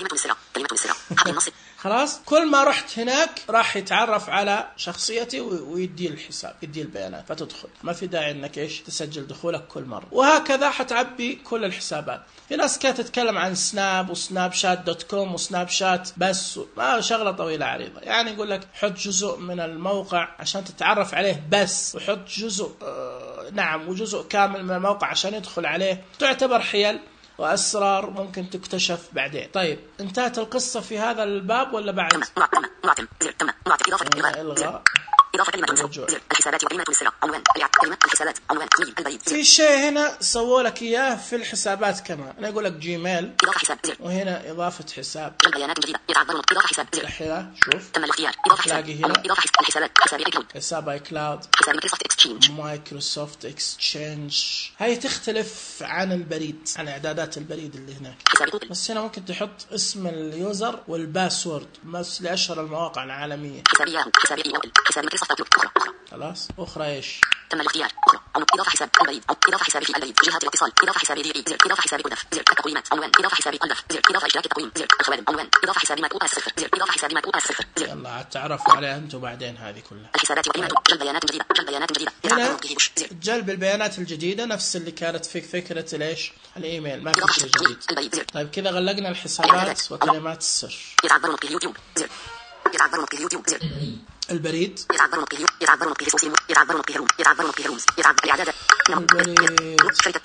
S1: خلاص، كل ما رحت هناك راح يتعرف على شخصيتي ويدي الحساب، يدي البيانات، فتدخل. ما في داعي انك ايش تسجل دخولك كل مرة. وهكذا حتعبي كل الحسابات. في ناس كانت تتكلم عن سناب وسناب شات دوت كوم وسناب شات بس، ما شغلة طويلة عريضة. يعني يقول لك حط جزء من الموقع عشان تتعرف عليه بس، وحط جزء آه نعم وجزء كامل من الموقع عشان يدخل عليه. تعتبر حيل وأسرار ممكن تكتشف بعدين. طيب، انتهت القصة في هذا الباب ولا بعد؟ إلغاء إضافة كلمة الرجوع الحسابات وكلمة السر عنوان كلمة الحسابات عنوان البريد. في شيء هنا سووا لك إياه في الحسابات كمان. أنا أقول لك جيميل إضافة حساب، وهنا إضافة حساب بيانات جديدة يتعبرون إضافة حساب. الحين شوف تم الاختيار إضافة حساب، هنا إضافة الحسابات حساب اي كلاود، حساب اي كلاود، حساب مايكروسوفت اكسشينج مايكروسوفت اكسشينج. هاي تختلف عن البريد، عن إعدادات البريد اللي هناك. بس هنا ممكن تحط اسم اليوزر والباسورد بس لأشهر المواقع العالمية. حسابي حسابي حسابي خلاص. أخرى إيش؟ تم الاختيار. أخرى إضافة حساب البريد، إضافة حسابي في البريد، جهات الاتصال، إضافة حسابي دي زر، إضافة حسابي قدف زر، التقويمات عنوان، إضافة حسابي قدف زر، إضافة إشراك التقويم زر، الخوادم عنوان، إضافة حسابي مدعو الصفر زر، إضافة حسابي مدعو الصفر زر. يلا تعرفوا عليها أنتم بعدين هذه كلها. الحسابات وقيمة جلب بيانات جديدة، جلب بيانات جديدة. هنا جلب البيانات الجديدة نفس اللي كانت في فكرة ليش الإيميل، ما في شيء جديد. طيب كذا غلقنا الحسابات وكلمات السر. يتعبرون في اليوتيوب زر، يتعبرون في اليوتيوب زر. البريد يتعبرون به يتعبرون به سوسيم يتعبرون به روم يتعبرون به رومز يتعب الإعداد البريد شركة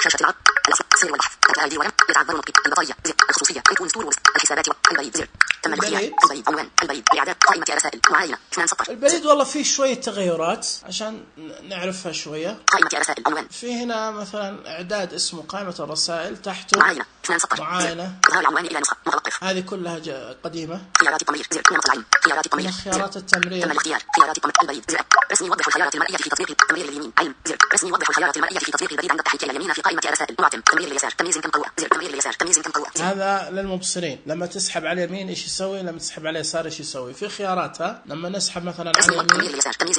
S1: شاشة العرض الأصل سير والبحث الآيدي ولم يتعبرون به البطارية زر الخصوصية كيكون ستور الحسابات البريد زر تم الاختيار البريد عنوان البريد إعداد قائمة رسائل معاينة اثنان سطر. البريد والله فيه شوية تغيرات عشان نعرفها شوية. قائمة رسائل عنوان في هنا مثلا إعداد اسمه قائمة الرسائل تحته معاينة اثنان سطر معاينة إظهار العنوان إلى نسخة متوقف. هذه كلها قديمة. خيارات التمرير زر نمط العين خيارات التمرير خيارات التمرير تم الاختيار خيارات البريد زر رسمي يوضح الخيارات المرئية في تطبيق التمرير اليمين عين زر رسمي يوضح الخيارات المرئية في تطبيق البريد عند التحريك إلى اليمين في قائمة رسائل معتم تمرير اليسار تمييز كم قوة زر تمرير اليسار تمييز كم قوة. هذا للمبصرين، لما تسحب على اليمين ايش يسوي، لما تسحب على اليسار ايش يسوي. في خياراتها لما نسحب مثلا على اليمين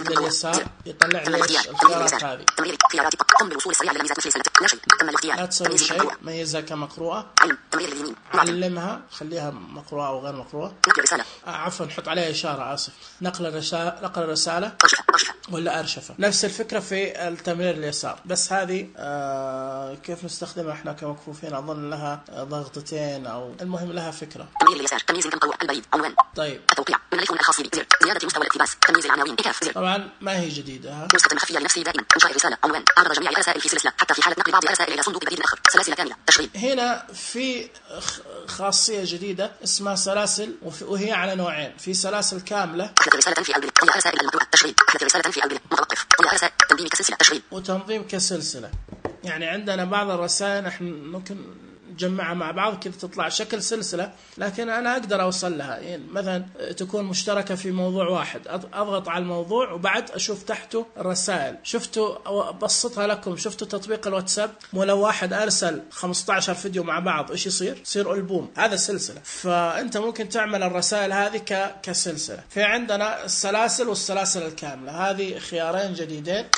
S1: لليسار يطلع لي الخيارات هذه. تمرير خيارات قم بالوصول السريع للميزات الفيصلة لا شيء تم الاختيار. لا تسوي شيء، ميزها كمقروءة عين تمرير اليمين علمها خليها مقروءة أو غير مقروءة. نقل رسالة آه عفوا نحط عليها إشارة آسف نقل الرسالة نقل الرسالة ولا أرشفة. نفس الفكرة في التمرير اليسار بس هذه آه كيف نستخدمها احنا كمكفوفين أظن لها ضغطتين أو المهم لها فكرة. تمرير اليسار تمييز كم قوة البريد عنوان. طيب التوقيع من الإخوان الخاص بي زيادة مستوى الاقتباس تمييز العناوين إكاف زر. طبعا ما هي جديدة ها. نسخة مخفية لنفسي دائما إنشاء الرسالة عنوان أعرض جميع الرسائل في سلسلة حتى في حالة نقل بعض الرسائل إلى صندوق بريد آخر سلاسل كاملة تشغيل. هنا في خاصية جديدة اسمها سلاسل وهي على نوعين، في سلاسل كاملة أحدث رسالة في البريد طيها رسائل المقروءة تشغيل أحدث رسالة في البريد متوقف طيها رسائل تنظيم كسلسلة تشغيل وتنظيم كسلسلة. يعني عندنا بعض الرسائل نحن ممكن نجمعها مع بعض كذا تطلع شكل سلسلة، لكن أنا أقدر أوصل لها. يعني مثلا تكون مشتركة في موضوع واحد أضغط على الموضوع وبعد أشوف تحته الرسائل. شفتوا بسطها لكم، شفتوا تطبيق الواتساب مو لو واحد أرسل خمسة عشر فيديو مع بعض إيش يصير؟ يصير ألبوم، هذا سلسلة. فأنت ممكن تعمل الرسائل هذه ك كسلسلة. في عندنا السلاسل والسلاسل الكاملة، هذه خيارين جديدين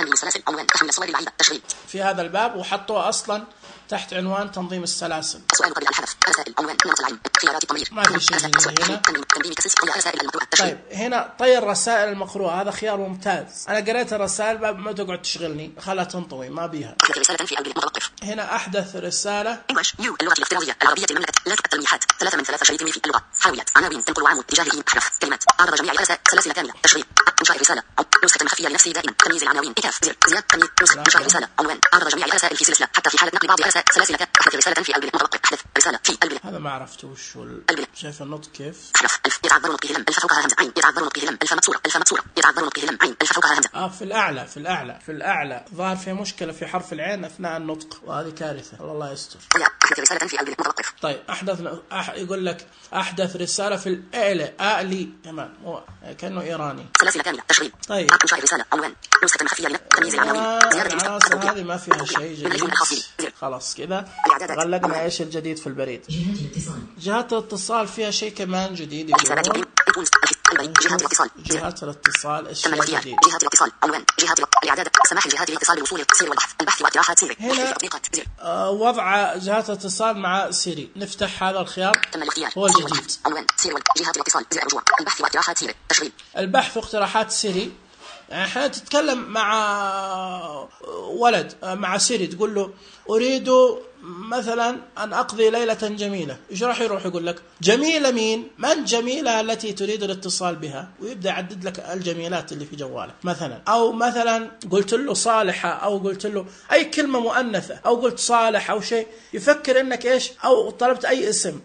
S1: في هذا الباب وحطوها أصلا تحت عنوان تنظيم السلاسل. سؤال قبل الحذف رسائل عنوان نمط العين خيارات التمرير ما في شيء هنا. تنظيم كسلسلة رسائل المقروءة. طيب هنا طير رسائل المقروءة هذا خيار ممتاز. أنا قريت الرسائل ما تقعد تشغلني خلها تنطوي ما بيها. رسالة في البريد متوقف. هنا أحدث رسالة English يو اللغة الافتراضية العربية المملكة لا التلميحات ثلاثة من ثلاثة شريط في اللغة حاويات عناوين تنقل وعمود تجاه أحرف كلمات أعرض جميع الرسائل سلاسل كاملة تشغيل
S4: إنشاء الرسالة نسخة مخفية لنفسي دائما تمييز العناوين إكاف زر زيادة تمييز نسخة إنشاء الرسالة عنوان عرض جميع الرسائل في سلسلة حتى في حالة نقل بعض سلاسل أحدث رسالة في البلد متوقع أحدث رسالة في البلد.
S1: هذا ما عرفت وش شايف النطق كيف؟
S4: أحرف ألف يتعذر نطقه لم ألف فوقها همزة عين يتعذر نطقه لم ألف مكسورة ألف مكسورة يتعذر نطقه لم عين ألف فوقها همزة.
S1: آه في الأعلى في الأعلى في الأعلى ظهر في مشكلة في حرف العين أثناء النطق وهذه كارثة والله يستر.
S4: أحدث رسالة في البلد متوقف.
S1: طيب أحدث أح... يقول لك أحدث رسالة في الأعلى أعلي كمان هو كأنه إيراني.
S4: سلاسل كاملة تشغيل.
S1: طيب.
S4: إنشاء الرسالة عنوان نسخة مخفية لتمييز العناوين. زيادة
S1: العناصر هذه ما فيها شيء جديد. خلاص كذا غلقنا إيش الجديد في البريد. جهات الاتصال فيها شيء كمان جديد يقولون.
S4: جهات الاتصال
S1: جهات الاتصال الشيء الجديد.
S4: جهات الاتصال عنوان جهات الاعداد سماح لجهات الاتصال بالوصول للتفسير والبحث البحث واقتراحات سيري.
S1: هنا آه وضع جهات الاتصال مع سيري. نفتح هذا الخيار هو الجديد.
S4: عنوان سيري جهات الاتصال زر رجوع البحث واقتراحات سيري تشغيل.
S1: البحث واقتراحات سيري يعني احيانا تتكلم مع ولد مع سيري تقول له أريد مثلا أن أقضي ليلة جميلة، إيش راح يروح يقول لك؟ جميلة مين؟ من جميلة التي تريد الاتصال بها؟ ويبدأ يعدد لك الجميلات اللي في جوالك مثلا. أو مثلا قلت له صالحة أو قلت له أي كلمة مؤنثة أو قلت صالح أو شيء، يفكر أنك إيش؟ أو طلبت أي اسم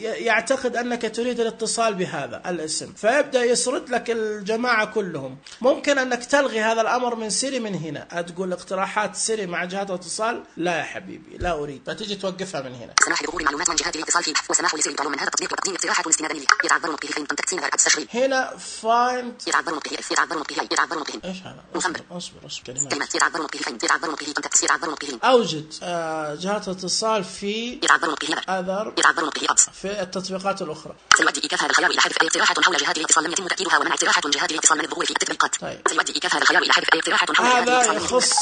S1: يعتقد أنك تريد الاتصال بهذا الاسم، فيبدأ يسرد لك الجماعة كلهم. ممكن أنك تلغي هذا الأمر من سيري من هنا، تقول اقتراحات سيري مع جهات الاتصال لا يا حبيبي لا أريد، فتيجي توقفها من هنا.
S4: سماح لظهور معلومات عن جهات الاتصال فيه وسماح لسيري طلب من هذا التطبيق وتقديم اقتراحات استنادا لي. يتعذر نطقه فين تقسيم على التشغيل.
S1: هنا فايند
S4: يتعذر نطقه يتعذر نطقه يتعذر نطقه
S1: ايش هذا؟
S4: اصبر
S1: اصبر اصبر كلمات.
S4: كلمات يتعذر نطقه فين يتعذر نطقه تنتكس يتعذر نطقه.
S1: أوجد آه جهات الاتصال في
S4: يتعذر نطقه
S1: أذر
S4: يتعذر نطقه أبس
S1: في التطبيقات الأخرى.
S4: سيؤدي إيقاف هذا الخيار إلى حذف أي اقتراحات حول جهات الاتصال لم يتم تأكيدها ومنع اقتراحات جهات الاتصال من الظهور في التطبيقات.
S1: طيب.
S4: سيؤدي إيقاف هذا الخيار إلى حذف أي اقتراحات حول
S1: هذا يخص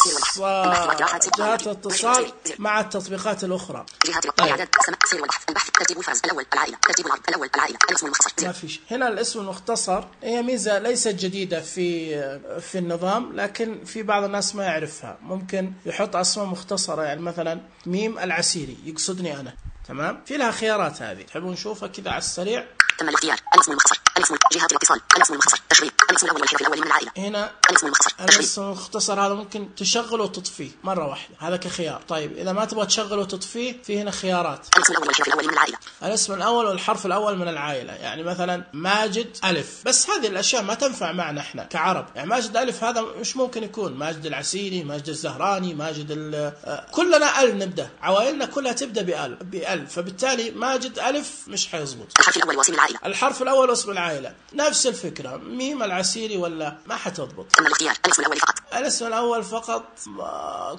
S1: جهات الاتصال مع التطبيقات الأخرى.
S4: جهات الاعداد سير والبحث البحث ترتيب الفرز الأول العائلة ترتيب العرض الأول العائلة الاسم المختصر.
S1: ما فيش هنا الاسم المختصر، هي ميزة ليست جديدة في في النظام لكن في بعض الناس ما يعرفها. ممكن يحط أسماء مختصرة يعني مثلا ميم العسيري يقصدني أنا، تمام؟ في لها خيارات هذه تحبون نشوفها كذا على السريع.
S4: تم الاختيار الاسم المختصر الاسم جهات الاتصال الاسم المختصر تشغيل الاسم الأول والحرف الأول من العائلة.
S1: هنا
S4: الاسم المختصر
S1: الاسم المختصر هذا ممكن تشغله وتطفيه مرة واحدة، هذا كخيار. طيب إذا ما تبغى تشغله وتطفيه في هنا خيارات.
S4: الاسم الأول والحرف الأول من العائلة.
S1: الاسم الأول والحرف الأول من العائلة، يعني مثلا ماجد ألف، بس هذه الأشياء ما تنفع معنا إحنا كعرب. يعني ماجد ألف هذا مش ممكن يكون ماجد العسيري ماجد الزهراني ماجد كلنا أل نبدأ، عوائلنا كلها تبدأ بأل بأل، فبالتالي ماجد ألف مش حيزبط.
S4: الحرف الأول واسم العائلة.
S1: الحرف الأول واسم العائلة نفس الفكرة، ميم العسيري ولا ما حتضبط.
S4: تم الاختيار الاسم الأول فقط.
S1: الاسم الأول فقط،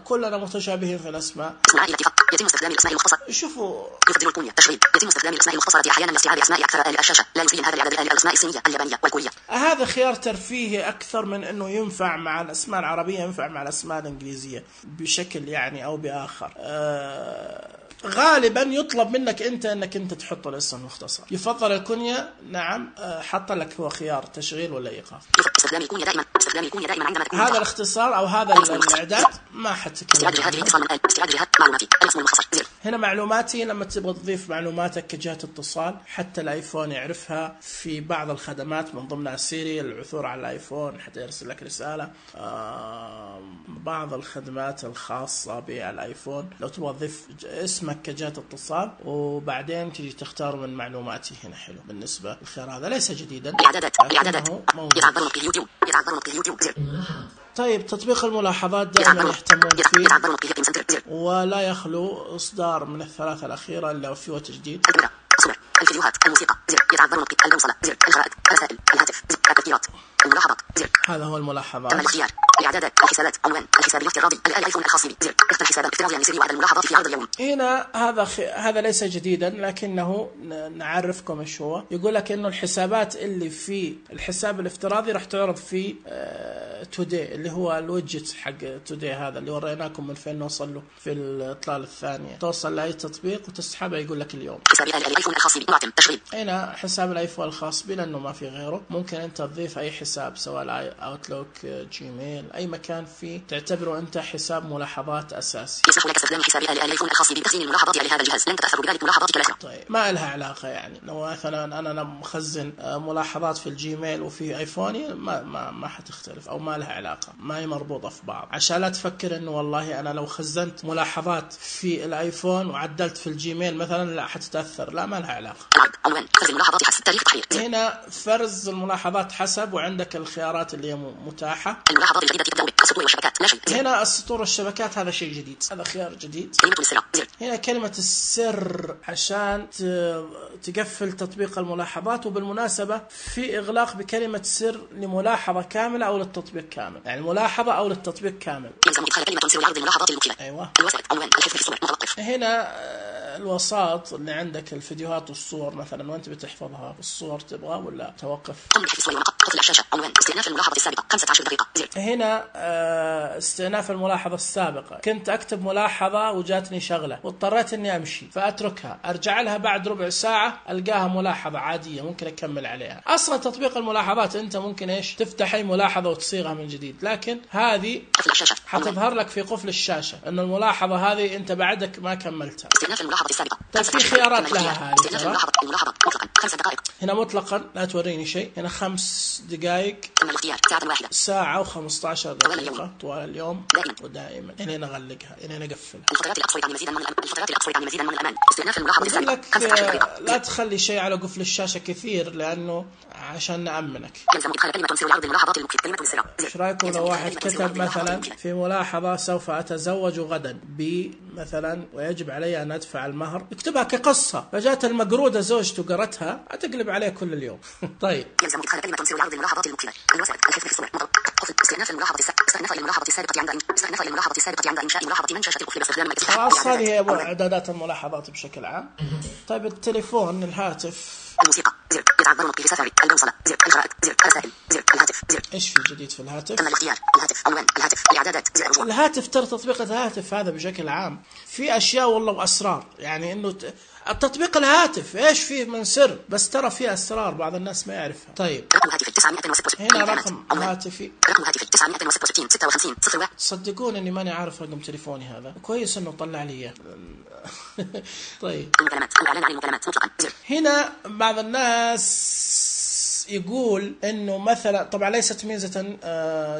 S1: كلنا متشابهين في الأسماء.
S4: اسم العائلة فقط. يتم استخدام الأسماء المختصرة.
S1: شوفوا
S4: يفضل الكنية تشغيل. يتم استخدام الأسماء المختصرة أحيانا لاستيعاب أسماء أكثر آل الشاشة، لا يسين هذا العدد آل الأسماء الصينية اليابانية والكورية.
S1: هذا خيار ترفيهي أكثر من إنه ينفع مع الأسماء العربية، ينفع مع الأسماء الإنجليزية بشكل يعني أو بآخر. أه غالبا يطلب منك انت انك انت تحط الاسم المختصر. يفضل الكنية نعم، حط لك هو خيار تشغيل ولا ايقاف.
S4: استخدام الكنية دائما استخدام الكنية دائما عندما تكون
S1: هذا الاختصار او هذا الاعداد ما حتكلم.
S4: استعاد جهات الاتصال من استعاد جهات معلوماتي الاسم المختصر زر.
S1: هنا معلوماتي لما تبغى تضيف معلوماتك كجهة اتصال حتى الايفون يعرفها في بعض الخدمات من ضمنها سيري العثور على الايفون حتى يرسل لك رسالة. بعض الخدمات الخاصة بالايفون لو تبغى تضيف اسمك كجهة اتصال وبعدين تيجي تختار من معلوماتي هنا حلو. بالنسبة للخيار هذا ليس جديدا،
S4: إعدادات إعدادات يتعذر نطقه يوتيوب يتعذر نطقه يوتيوب.
S1: طيب تطبيق الملاحظات دائما يهتمون فيه ولا يخلو إصدار من الثلاثة الأخيرة إلا فيه تجديد.
S4: الصور الفيديوهات الموسيقى زر يتعذر نطقه البوصلة زر الجرائد الرسائل الهاتف زر التذكيرات الملاحظات زر.
S1: هذا هو الملاحظات.
S4: تم الاختيار الاعدادات الحسابات عنوان الحساب الافتراضي الايفون الخاص بي زر اختر الحساب الافتراضي عن سري وعدد الملاحظات في عرض اليوم.
S1: هنا هذا خ... هذا ليس جديدا لكنه نعرفكم ايش هو. يقول لك انه الحسابات اللي في الحساب الافتراضي راح تعرض في آه... تودي اللي هو الويدجت حق تودي هذا اللي وريناكم من فين نوصل له في الاطلال الثانيه. توصل لاي تطبيق وتسحبه يقول لك اليوم
S4: حساب الايفون الخاص بي معتم تشغيل.
S1: هنا حساب الايفون الخاص بي لانه ما في غيره. ممكن انت تضيف اي حساب حساب سواء اوتلوك جيميل اي مكان فيه تعتبره انت حساب ملاحظات اساسي.
S4: يسمح لك استخدام حساب الايفون الخاص بتخزين الملاحظات على هذا الجهاز، لن تتاثر بذلك ملاحظاتك الاخرى.
S1: طيب ما لها علاقه يعني لو مثلا انا مخزن ملاحظات في الجيميل وفي ايفوني ما ما ما حتختلف او ما لها علاقه، ما هي مربوطه في بعض، عشان لا تفكر انه والله انا لو خزنت ملاحظات في الايفون وعدلت في الجيميل مثلا لا حتتاثر، لا ما لها علاقه.
S4: عنوان فرز الملاحظات حسب تاريخ التحرير.
S1: هنا فرز الملاحظات حسب، وعندك الخيارات اللي هي متاحه.
S4: الملاحظات الجديده تبدا بالسطور والشبكات، لا شيء.
S1: هنا السطور والشبكات هذا شيء جديد، هذا خيار جديد.
S4: كلمه السر.
S1: هنا كلمه السر عشان تقفل تطبيق الملاحظات، وبالمناسبه في اغلاق بكلمه سر لملاحظه كامله او للتطبيق كامل، يعني ملاحظه او للتطبيق كامل.
S4: يلزم ادخال كلمه سر لعرض الملاحظات المكتوبه.
S1: ايوه.
S4: الوسائط عنوان الحفظ في الصور متوقف.
S1: هنا الوساط اللي عندك الفيديوهات والصور مثلا وانت بتحفظها، الصور تبغى ولا توقف؟
S4: قم بحفظ الصور ونقط قفل الشاشه. عنوان استئناف الملاحظه السابقه خمسة عشر دقيقه. زر.
S1: هنا استئناف الملاحظه السابقه، كنت اكتب ملاحظه وجاتني شغله واضطريت اني امشي فاتركها، ارجع لها بعد ربع ساعه القاها ملاحظه عاديه ممكن اكمل عليها. اصلا تطبيق الملاحظات انت ممكن ايش تفتح اي ملاحظه وتصيغها من جديد، لكن هذه حتظهر لك في قفل الشاشه ان الملاحظه هذه انت بعدك ما كملتها.
S4: استئناف الملاحظه السابقه.
S1: طيب في خيارات لها هذه.
S4: استئناف الملاحظه الملاحظه مطلقا خمس دقائق.
S1: هنا مطلقا لا توريني شيء، هنا خمس دقائق.
S4: تم الاختيار ساعه واحده.
S1: ساعه وخمسة عشر دقيقه طوال اليوم ودائما. هنا نقلقها، هنا نقفلها.
S4: الفترات الاقصى يعني مزيدا من الأمان. الفترات الاقصى يعني مزيدا من الامان. استئناف الملاحظه السابقه
S1: خمسة عشر دقيقه. لا تخلي شيء على قفل الشاشه كثير لانه عشان نامنك.
S4: يلزم ادخال كلمه سر لعرض الملاحظات المكتوبه. كلمه السر.
S1: ايش رايكم لو واحد كتب مثلا في ملاحظه سوف اتزوج غدا ب مثلا ويجب علي ان ادفع المهر، اكتبها كقصه، فجات المقروده زوجته قرتها هتقلب عليه كل اليوم. طيب
S4: يلزم ادخال كلمه سر لعرض الملاحظات المكتوبه. الوسائط الحفظ في الصور قفل استئناف الملاحظه السابقه. استئناف الملاحظه السابقه عند استئناف الملاحظه السابقه عند انشاء ملاحظه من شاشه القفل باستخدام
S1: خلاص هذه هي اعدادات الملاحظات بشكل عام. طيب التليفون الهاتف.
S4: الموسيقى زر يتعبر به سفاري. البوصله زر الخرائط زر الرسائل زر الهاتف زر.
S1: ايش في جديد في الهاتف؟
S4: تم الاختيار. الهاتف عنوان الهاتف الاعدادات زر رجوع.
S1: الهاتف ترى تطبيق الهاتف هذا بشكل عام في اشياء والله واسرار، يعني انه التطبيق الهاتف ايش فيه من سر، بس ترى فيه اسرار بعض الناس ما يعرفها. طيب
S4: رقم هاتف تسعمائة وستة وستين.
S1: هنا رقم هاتفي.
S4: رقم هاتف تسعمائة وستة وستين ستة وخمسين صفر واحد.
S1: صدقوني اني ماني عارف رقم تليفوني هذا، كويس انه طلع لي اياه. طيب
S4: المكالمات الاعلان عن المكالمات مطلقا زر.
S1: هنا بعض الناس يقول انه مثلا، طبعا ليست ميزه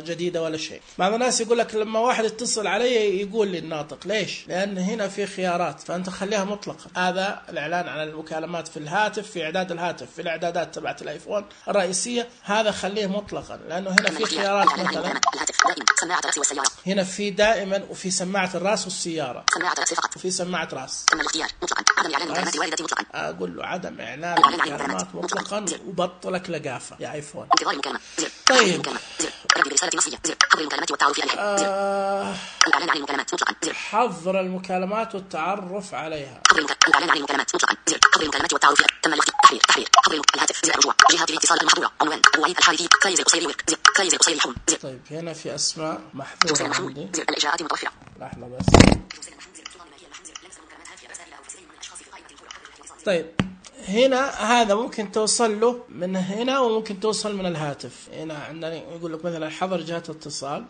S1: جديده ولا شيء، بعض الناس يقول لك لما واحد يتصل علي يقول لي الناطق، ليش؟ لان هنا في خيارات فانت خليها مطلقه. هذا الاعلان عن المكالمات في الهاتف، في اعداد الهاتف في الاعدادات تبعت الايفون الرئيسيه، هذا خليه مطلقا لانه هنا في خيارات مثلا
S4: سماعه الراس والسياره.
S1: هنا في دائما وفي سماعه الراس والسياره.
S4: سماعه الراس فقط.
S1: وفي سماعه راس.
S4: تم الاختيار مطلقا. عدم اعلان مكالمات والدتي مطلقا.
S1: اقول له عدم اعلان المكالمات مطلقا وبطلك لقافه يا ايفون.
S4: انتظار المكالمه زر.
S1: طيب
S4: زر رد برساله نصيه زر. حظر المكالمات والتعرف عليها زر.
S1: آه
S4: الاعلان عن المكالمات مطلقا زر.
S1: حظر المكالمات والتعرف عليها.
S4: حظر الاعلان عن المكالمات مطلقا زر. حظر المكالمات والتعرف عليها. تم الاختيار. تحرير تحرير. حظر الهاتف زر رجوع. جهات الاتصال المحظوره. عنوان ابو وليد الحارثي فايز القصيري ورك زر. فايز القصيري حون زر.
S1: طيب هنا في اسماء محظوره عندي
S4: زر. الاجراءات متوفره.
S1: لحظه بس. طيب هنا هذا ممكن توصل له من هنا وممكن توصل من الهاتف. هنا عندنا يقول لك مثلا حظر جهات الاتصال.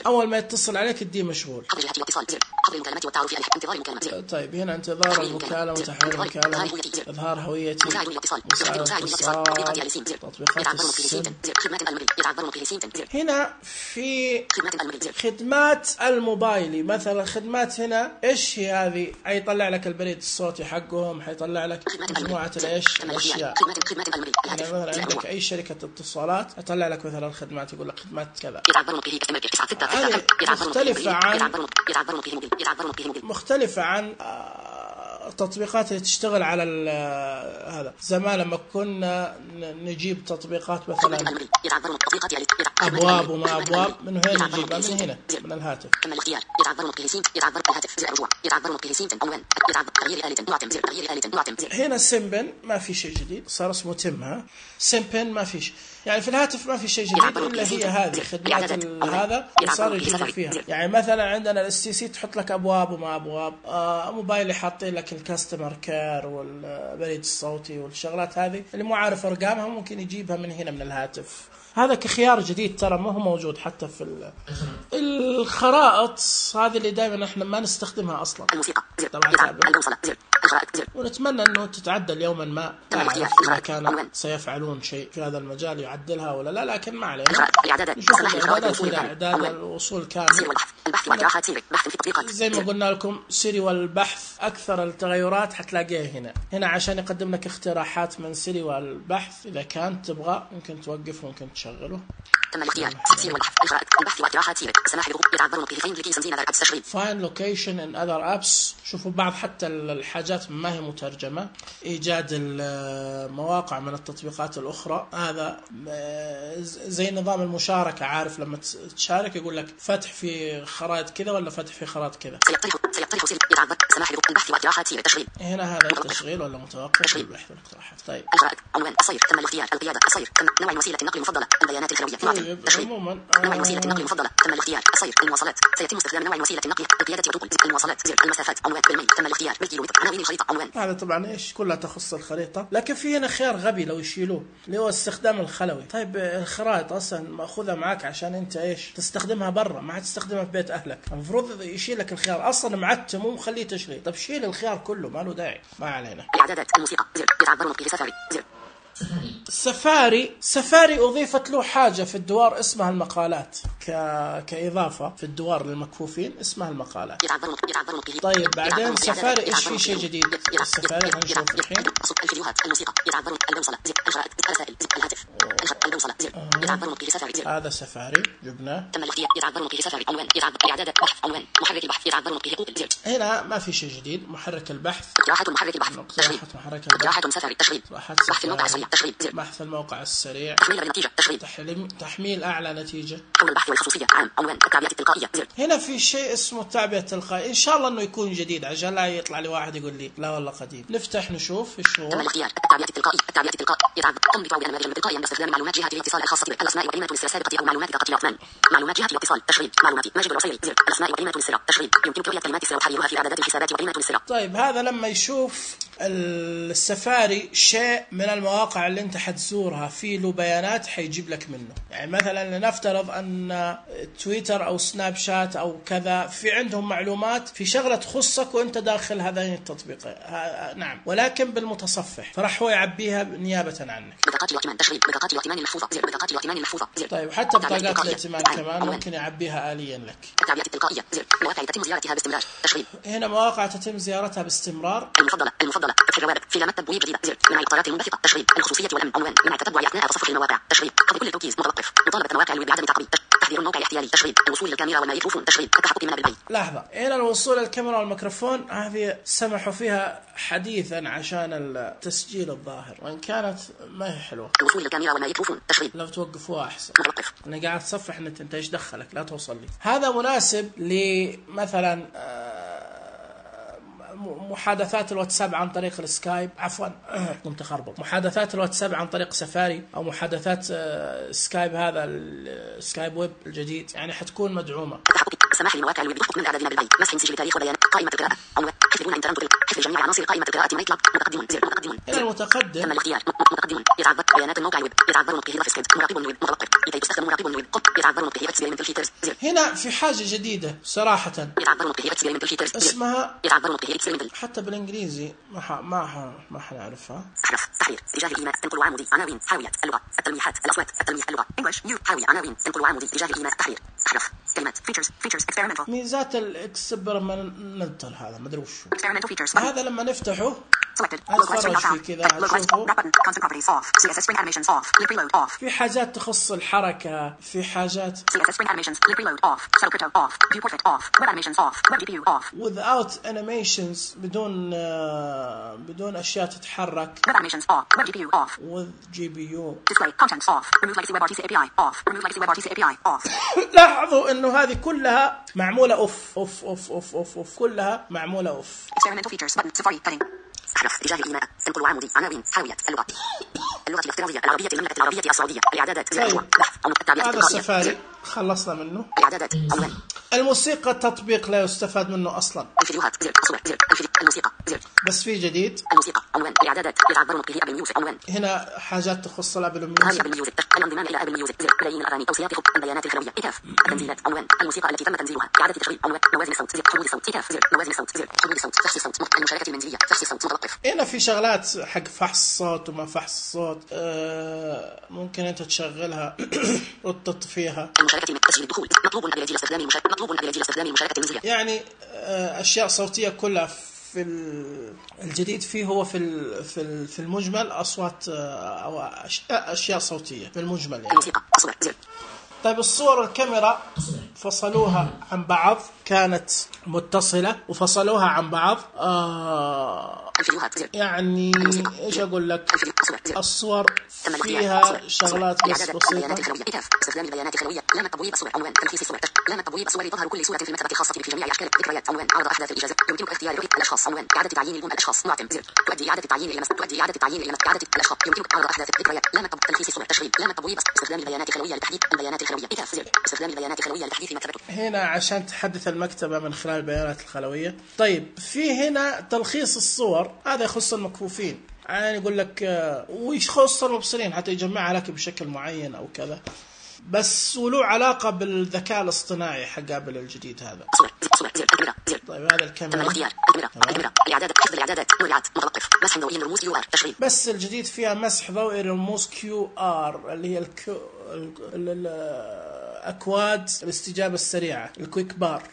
S1: اول ما يتصل عليك الدي مشغول.
S4: حظر جهات الاتصال زر. حظر المكالمات والتعرف عليها. انتظار المكالمه.
S1: طيب هنا انتظار المكالمة وتحويل المكالمة. اظهار هويتي.
S4: مساعد الاتصال.
S1: مساعد الاتصال. تطبيقات السن. هنا في خدمات الموبايلي مثلا. خدمات هنا ايش هي هذه؟ حيطلع لك البريد الصوتي حقهم، حيطلع لك مجموعة الايش الاشياء. يعني مثلا عندك اي شركة اتصالات يطلع لك مثلا خدمات، يقول لك خدمات كذا. مختلفة عن مختلفة عن التطبيقات اللي تشتغل على هذا. زمان لما كنا نجيب تطبيقات مثلا ابواب وما ابواب، من وين نجيبها؟ من هنا من الهاتف.
S4: تم الاختيار. يتعبر متكهسين. يتعبر الهاتف زر رجوع. يتعبر متكهسين عنوان. يتعبر تغيير آلة معتم زر. تغيير آلة معتم زر.
S1: هنا سيمبن ما في شيء جديد، صار اسمه تم. ها سيمبن ما فيش، يعني في الهاتف ما في شيء جديد الا هي هذه خدمات هذا صار يجيبوا فيها. يعني مثلا عندنا الاس تي سي تحط لك ابواب وما ابواب. آه موبايل حاطين لك الكاستمر كير والبريد الصوتي والشغلات هذه اللي مو عارف ارقامها ممكن يجيبها من هنا من الهاتف. هذا كخيار جديد ترى ما هو موجود حتى في الخرائط هذه اللي دائما احنا ما نستخدمها اصلا.
S4: الموسيقى زر
S1: طبعا
S4: البوصلة زر الخرائط زر.
S1: ونتمنى انه تتعدل يوما ما، اذا كان سيفعلون شيء في هذا المجال يعدلها ولا لا، لكن ما علينا. نشوف الاعدادات الى اعداد الوصول كامل.
S4: البحث واقتراحات سيري، بحث في التطبيقات
S1: زي ما قلنا لكم سيري والبحث اكثر التغيرات حتلاقيها هنا هنا عشان يقدم لك اقتراحات من سيري والبحث. اذا كان تبغى ممكن توقف وممكن تشغله.
S4: تم الاختيار سيري والبحث الخرائط البحث واقتراحات سيري السماح بالغض يتعبرون به فين لوكيشن زين ابس تشغيل
S1: فاين لوكيشن ان اذر ابس. شوفوا بعض حتى الحاجات ما هي مترجمه، ايجاد المواقع من التطبيقات الاخرى. هذا زي نظام المشاركه، عارف لما تشارك يقول لك فتح في خرائط كذا ولا فتح في خرائط كذا.
S4: سيقترح سيقترح سيري يتعبر السماح بالغض البحث واقتراحات سيري تشغيل.
S1: هنا هذا التشغيل ولا متوقف البحث والاقتراحات. طيب
S4: الخرائط عنوان الصير تم الاختيار القياده الصير تم نوع وسيله النقل المفضله البيانات الخلويه
S1: طيب عموما
S4: نوع وسيله النقل المفضله تم الاختيار الصير المواصلات سيتم استخدام نوع وسيله النقل القياده والركوب المواصلات زر المسافات عنوان بالميل تم الاختيار بالكيلومتر عناوين الخريطه عنوان.
S1: هذا طبعا ايش كلها تخص الخريطه، لكن في هنا خيار غبي لو يشيلوه اللي هو استخدام الخلوي. طيب الخرائط اصلا ماخذها معك عشان انت ايش تستخدمها برا، ما تستخدمها في بيت اهلك. المفروض يشيل لك الخيار اصلا معتم ومخليه تشغيل. طب شيل الخيار كله ما له داعي. ما علينا.
S4: اعدادات الموسيقى زر يتعبرون به سفاري زر.
S1: سفاري سفاري أضيفت له حاجة في الدوار اسمها المقالات، ك... كإضافة في الدوار للمكفوفين اسمها المقالات. طيب بعدين سفاري إيش في شيء جديد؟ السفاري هنشوف الحين.
S4: الفيديوهات الموسيقى يتعبرون البوصلة زر الخرائط الرسائل زر الهاتف البوصلة زر يتعبرون به سفاري زر.
S1: هذا سفاري جبناه.
S4: تم الاختيار يتعبرون به سفاري عنوان يتعبر إعدادات بحث عنوان محرك البحث يتعبرون به جوجل زر.
S1: هنا ما في شيء جديد. محرك البحث
S4: اقتراحات محرك البحث تشغيل اقتراحات سفاري تشغيل بحث الموقع السريع تشغيل زر
S1: بحث الموقع السريع
S4: تحميل النتيجة تشغيل
S1: تحليل تحميل أعلى نتيجة
S4: حول البحث والخصوصية عام عنوان التعبئة التلقائية زر.
S1: هنا في شيء اسمه التعبئة التلقائية، إن شاء الله إنه يكون جديد عشان لا يطلع لي واحد يقول لي لا والله قديم. نفتح نشوف إيش هو.
S4: تم الاختيار التعبئة التلقائية التعبئة التلقائية يتعبر قم بتعبئة نماذج تلقائيا باستخدام معلومات جهة الاتصال الخاصة بالأسماء وقيمة الاسترسال السابقة أو معلومات دقة الأثمان. معلومات جهة الاتصال تشغيل معلوماتي ماجد العصيري زر الأسماء وقيمة الاسترسال تشغيل يمكنك قراءة كلمات السر وتحريرها في إعدادات الحسابات وقيمة الاسترسال.
S1: طيب هذا لما يشوف السفاري شيء من المواقع اللي انت حتزورها في له بيانات حيجيب لك منه. يعني مثلا لنفترض ان تويتر او سناب شات او كذا في عندهم معلومات في شغلة تخصك وانت داخل هذين التطبيقات. نعم ولكن بالمتصفح، فراح هو يعبيها نيابة عنك.
S4: بطاقات الائتمان تشغيل بطاقات الائتمان المحفوظة زر بطاقات الائتمان المحفوظة زر.
S1: طيب حتى بطاقات الائتمان كمان ممكن يعبيها آليا لك.
S4: التعبئة التلقائية زر مواقع تتم زيارتها باستمرار تشغيل.
S1: هنا مواقع تتم زيارتها باستمرار.
S4: المفضلة المفضلة فتح الروابط في علامات تبويب جديدة زر منع القرارات المنبثقة تشغيل الخصوصية والأمن عنوان منع التتبع أثناء تصفح المواقع تشغيل قبل كل التوكيز متوقف مطالبة مواقع الويب بعدم تعقيد تحذير الموقع الاحتيالي تشغيل الوصول للكاميرا والميكروفون تشغيل التحقق منها بالبيت.
S1: لحظة هنا الوصول للكاميرا والميكروفون هذه سمحوا فيها حديثا عشان التسجيل الظاهر وإن كانت ما هي حلوة.
S4: الوصول للكاميرا والميكروفون تشغيل
S1: لو توقفوها أحسن.
S4: متوقف.
S1: أنا قاعد أتصفح أنت أنت إيش دخلك لا توصل لي. هذا مناسب لمثلا محادثات الواتساب عن طريق السكايب عفوا قمت خربط محادثات الواتساب عن طريق سفاري او محادثات سكايب هذا السكايب ويب الجديد يعني حتكون مدعومه.
S4: سماح لمواقع الويب بحكم من اعدادنا بالبيت مسح سجل تاريخ وبيانات قائمه القراءه عنوان حفظون انترنت حفظ جميع عناصر قائمه القراءه ميت لاب متقدمون زر متقدمون
S1: هنا المتقدم
S4: تم الاختيار متقدمون يتعبر بيانات الموقع الويب يتعبر به ضغط سكيب مراقب الويب متوقف لكي تستخدم مراقب الويب قط يتعبر به اكسبيرمنتال فيترز زر.
S1: هنا في حاجه جديده صراحه
S4: يتعبر به اكسبيرمنتال فيترز
S1: اسمها
S4: يتعبر به اكسبيرمنتال
S1: حتى بالانجليزي ما ح... ما ح... ما حنعرفها.
S4: احرف تحرير اتجاه الايماء تنقل عمودي عناوين حاويات اللغه التلميحات الاصوات التلميح اللغه انجلش نيو حاوي عناوين تنقل عمودي اتجاه الايماء تحرير احرف كلمات فيتشرز فيتشرز اكسبيرمنتال
S1: ميزات الاكسبيرمنتال هذا ما ادري وش
S4: اكسبيرمنتال فيتشرز
S1: هذا لما نفتحه
S4: selected
S1: اتفرج في كذا اشوفه
S4: constant properties off C S S spring animations off lip reload off
S1: في حاجات تخص الحركه في حاجات
S4: C S S spring animations lip reload off shadow crypto off view portrait off web animations off web G P U off
S1: without animations بدون uh, بدون اشياء تتحرك
S4: web animations off web G P U off
S1: with G P U
S4: display contents off remove legacy web R T C A P I off remove legacy web R T C A P I off.
S1: لاحظوا انه هذه كلها معموله اوف اوف اوف اوف اوف, أوف. كلها معموله اوف.
S4: experimental features button safari heading أحرف اتجاه الإيماء تنقل عمودي عناوين حاوية اللغة اللغة الافتراضية العربية المملكة العربية السعودية الإعدادات
S1: طيب.
S4: بحث أو التعبيرات
S1: هذا
S4: التلقائية
S1: السفاري خلصنا منه.
S4: الإعدادات عنوان
S1: الموسيقى التطبيق لا يستفاد منه أصلا.
S4: الفيديوهات زر صور زر الفيديو الموسيقى زر
S1: بس في جديد
S4: الموسيقى عنوان الإعدادات يتعبر به أبل ميوزك عنوان
S1: هنا حاجات تخص الأبل
S4: هذه
S1: ميوزك.
S4: أبل ميوزك الانضمام إلى أبل ميوزك زر ملايين الأغاني أو سياق البيانات الخلوية إتاف التنزيلات عنوان الموسيقى التي تم تنزيلها إعادة تشغيل عنوان موازن الصوت زر حمول الصوت إتاف زر موازن الصوت زر حمول الصوت فحص الصوت المشاركة المنزلية فحص الصوت متوقف.
S1: هنا في شغلات حق فحص الصوت وما فحص الصوت آه ممكن أنت تشغلها وتطفيها.
S4: المشاركة من تسجيل الدخول مطلوب أن يجي استخدام المشاركة مطلوب أن يجي استخدام المشاركة المنزلية
S1: يعني آه أشياء صوتية كلها في الجديد فيه هو في في في المجمل أصوات أو أشياء, أشياء صوتية في المجمل يعني.
S4: الموسيقى تصوير زر.
S1: طيب الصور الكاميرا فصلوها عن بعض كانت متصلة وفصلوها عن بعض آه يعني إيش أقول لك الصور فيها شغلات بس بسيطة.
S4: استخدام البيانات الخلوية لام التبويب الصور عنوان تلخيص الصور لام التبويب الصور تظهر كل صورة في المكتبة الخاصة بك في جميع أشكال ذكريات عنوان عرض أحداث الإجازة يمكنك اختيار رؤية الأشخاص عنوان إعادة تعيين البوم الأشخاص معتم زر تؤدي إعادة التعيين إلى مسؤول تؤدي إعادة التعيين إلى مسؤول إعادة الأشخاص يمكنك عرض أحداث الذكريات لام التبويب تلخيص الصور تشغيل لام التبويب استخدام البيانات الخلوية لتحديث البيانات الخلوية إتاف زر استخدام البيانات الخلوية لتحديث مكتبته
S1: هنا عشان تحدث المكتبة من خلال البيانات الخلوية. طيب في هنا تلخيص الصور هذا يخص المكفوفين يعني يقول لك ويخص المبصرين حتى يجمعها لك بشكل معين أو كذا بس وله علاقة بالذكاء الاصطناعي حق أبل الجديد هذا. طيب هذا الكاميرا
S4: الإعدادات حفظ الإعدادات نوعات متوقف مسح ضوئي الرموز كيو آر تشغيل
S1: بس الجديد فيها مسح ضوئي الرموز كيو آر اللي هي الكو الأكواد الاستجابة السريعة الكويك بار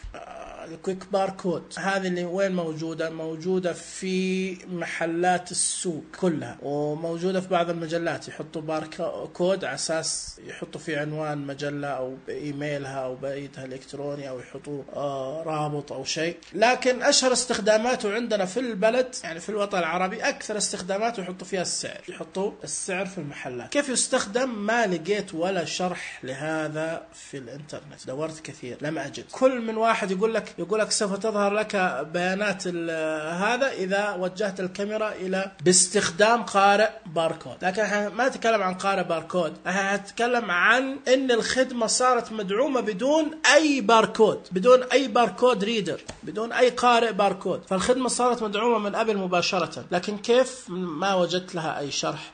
S1: الكويك بار كود. هذه اللي وين موجودة؟ موجودة في محلات السوق كلها وموجودة في بعض المجلات يحطوا بار كود على أساس يحطوا في عنوان مجلة أو بإيميلها أو بريدها الإلكتروني أو يحطوا آه رابط أو شيء. لكن أشهر استخداماته عندنا في البلد يعني في الوطن العربي أكثر استخداماته يحطوا فيها السعر يحطوا السعر في المحلات. كيف يستخدم ما لقيت ولا شرح لهذا في الإنترنت دورت كثير لم أجد. كل من واحد يقول لك يقول لك سوف تظهر لك بيانات هذا إذا وجهت الكاميرا إلى باستخدام قارئ باركود. لكن ما نتكلم عن قارئ باركود نتكلم عن إن الخدمة صارت مدعومة بدون أي باركود بدون أي باركود ريدر بدون أي قارئ باركود. فالخدمة صارت مدعومة من أبل مباشرة لكن كيف ما وجدت لها أي شرح.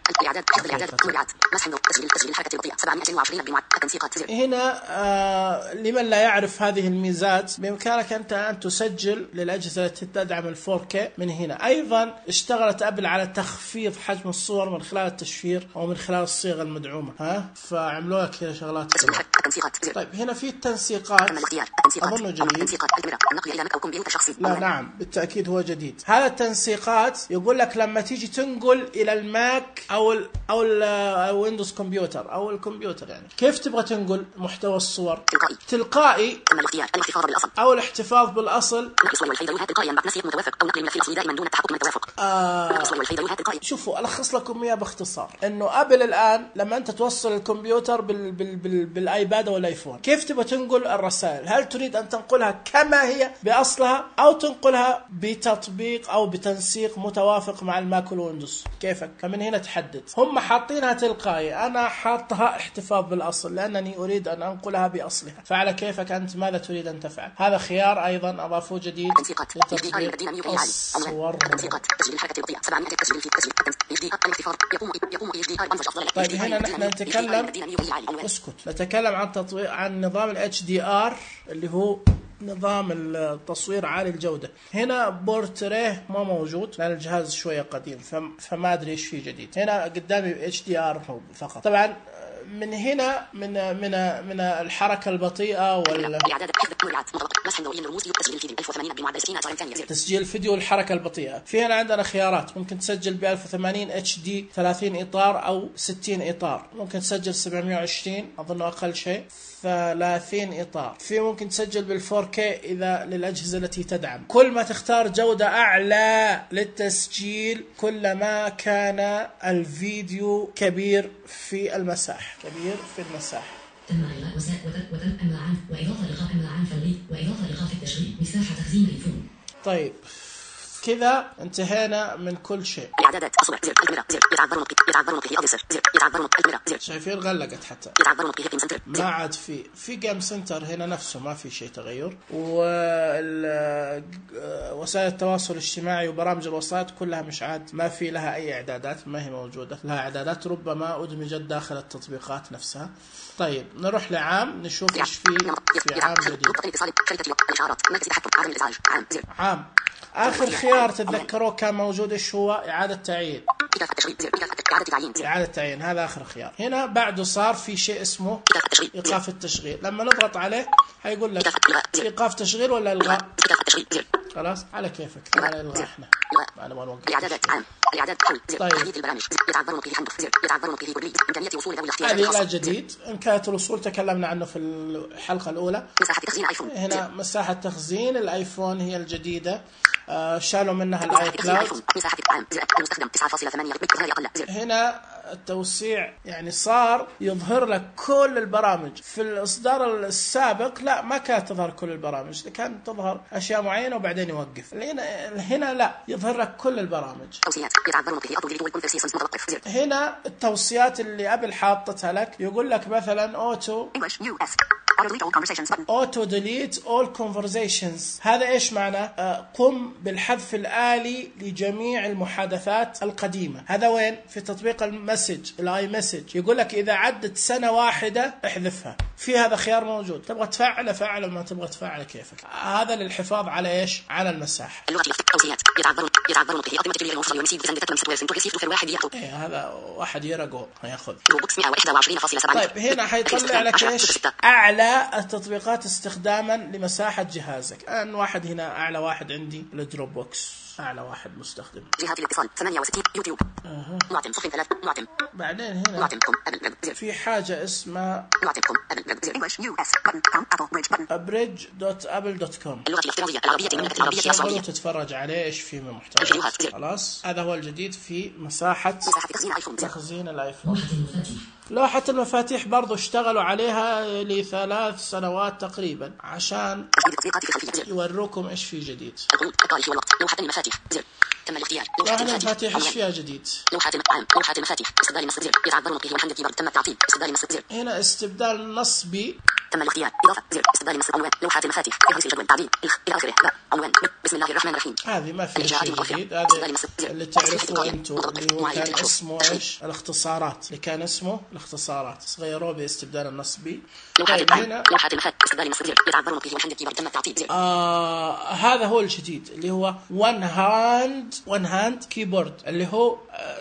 S1: هنا آه لمن لا يعرف هذه الميزات بإمكانك أنت أن تسجل للأجهزة التي تدعم الفور كي من هنا. أيضا اشتغلت أبل على تخفيض حجم الصور من خلال التشفير أو من خلال الصيغة المدعومة ها فعملوا لك كذا شغلات. طيب هنا في التنسيقات أظن جديد. لا نعم بالتأكيد هو جديد. هذا التنسيقات يقول لك لما تيجي تنقل إلى الماك أو ال أو الويندوز كمبيوتر أو الكمبيوتر يعني كيف تبغى تنقل محتوى الصور تلقائي أو الاحتفاظ بالأصل. آه شوفوا ألخص لكم إياه باختصار إنه أبل الآن لما أنت توصل الكمبيوتر بال بال بال بالآيباد أو الآيفون كيف تبغى تنقل الرسائل؟ هل تريد أن تنقلها كما هي بأصلها أو تنقلها بتطبيق أو بتنسيق متوافق مع الماك والويندوز؟ كيفك؟ فمن هنا تحدد. هم حاطينها تلقائي أنا حاطها احتفاظ بالأصل لأنني أريد أن أنقلها بأصلها. فعلى كيفك أنت ماذا تريد أن تفعل. هذا خيار أيضا أضافوه جديد لتطبيق الصور. طيب هنا نحن نتكلم اسكت نتكلم عن تطوير عن نظام ال إتش دي آر اللي هو نظام التصوير عالي الجودة. هنا بورتريه ما موجود لأن الجهاز شوية قديم فما أدري إيش فيه جديد. هنا قدامي إتش دي آر فقط. طبعا من هنا من من من الحركة البطيئة وال تسجيل الفيديو والحركة البطيئة. في هنا عندنا خيارات ممكن تسجل ب ألف وثمانين اتش دي ثلاثين إطار أو ستين إطار. ممكن تسجل سبعمية وعشرين أظن أقل شيء ثلاثين إطار. في ممكن تسجل بالفور كي إذا للأجهزة التي تدعم. كل ما تختار جودة أعلى للتسجيل كلما كان الفيديو كبير في المساحة كبير في المساحة.
S5: تم إلغاء وتم أمر عام وإضافة إلغاء أمر عام فوري وإضافة إيقاف التشغيل مساحة تخزين الفون.
S1: طيب كذا انتهينا من كل شيء.
S4: إعدادات أصبع زر الكاميرا زر يتعبر نطقي يتعبر نطقي أديسر زر يتعبر نطقي الكاميرا زر.
S1: شايفين غلقت حتى.
S4: يتعبر نطقي جيم سنتر.
S1: ما عاد في في جيم سنتر هنا نفسه ما في شيء تغير. ووسائل التواصل الاجتماعي وبرامج الوسائط كلها مش عاد ما في لها أي إعدادات، ما هي موجودة لها إعدادات، ربما أدمجت داخل التطبيقات نفسها. طيب نروح لعام نشوف إيش في في عام جديد. عام آخر خيار تتذكروه كان موجود إيش هو؟ إعادة تعيين. إعادة تعيين هذا آخر خيار. هنا بعده صار في شيء اسمه إيقاف التشغيل. لما نضغط عليه هيقول لك إيقاف تشغيل ولا إلغاء. خلاص على كيفك. على إلغاء إحنا. ما نبغى نوقف. طيب. هذه لا جديد. إمكانية الوصول تكلمنا عنه في الحلقة الأولى. هنا مساحة تخزين الآيفون هي الجديدة. آه شالوا منها الاي كلاود. هنا التوسيع يعني صار يظهر لك كل البرامج. في الاصدار السابق لا ما كانت تظهر كل البرامج، كانت تظهر اشياء معينه وبعدين يوقف. هنا هنا لا يظهر لك كل البرامج. هنا التوصيات اللي قبل حاطتها لك يقول لك مثلا اوتو اوتو ديليت اول كونفرزيشنز. هذا ايش معناه؟ آه قم بالحذف الآلي لجميع المحادثات القديمة. هذا وين؟ في تطبيق المسج الاي مسج. يقول لك إذا عدت سنة واحدة احذفها. في هذا خيار موجود، تبغى تفعله فعله، ما تبغى تفعله كيفك. هذا للحفاظ على ايش؟ على المساحة. إيه هذا واحد يرقو هياخذ. طيب هنا حيطلع لك ايش؟ أعلى التطبيقات استخداما لمساحة جهازك. أن واحد هنا أعلى واحد عندي الدروب بوكس، أعلى واحد مستخدم.
S4: جهات الاتصال ثمانية وستين يوتيوب.
S1: أه.
S4: معتم صفر ثلاث معتم.
S1: بعدين هنا
S4: معتمكم
S1: في حاجة اسمها
S4: معتمكم
S1: abridge دوت ابل دوت كوم.
S4: اللغة الافتراضية العربية المملكة العربية السعودية.
S1: تتفرج عليه ايش فيه من محتوى. خلاص هذا هو الجديد في مساحة
S4: تخزين الايفون.
S1: تخزين الايفون. لوحة المفاتيح برضو اشتغلوا عليها لثلاث سنوات تقريبا عشان يوروكم ايش في جديد.
S4: لوحة المفاتيح زر تم الاختيار.
S1: لوحة المفاتيح ايش فيها جديد؟
S4: لوحة لوحة المفاتيح استبدال النصب زر يتعبر نطقه ومحمد كيبورد تم التعطيل. استبدال النصب زر.
S1: هنا استبدال نصبي
S4: تم الاختيار. اضافة زر استبدال النصب عنوان لوحة المفاتيح فهرس الجدول تعديل الى اخره. عنوان بسم الله الرحمن الرحيم.
S1: هذه ما فيها شيء جديد. هذا اللي تعرفوه انتم اللي هو كان اسمه ايش؟ الاختصارات اللي كان اسمه الاختصارات غيروه باستبدال النصبي.
S4: طيب هنا لوحة المفاتيح استبدال النصب زر يتعبر نطقه ومحمد كيبورد تم التعطيل.
S1: آه هذا هو الجديد اللي هو one hand one hand keyboard اللي هو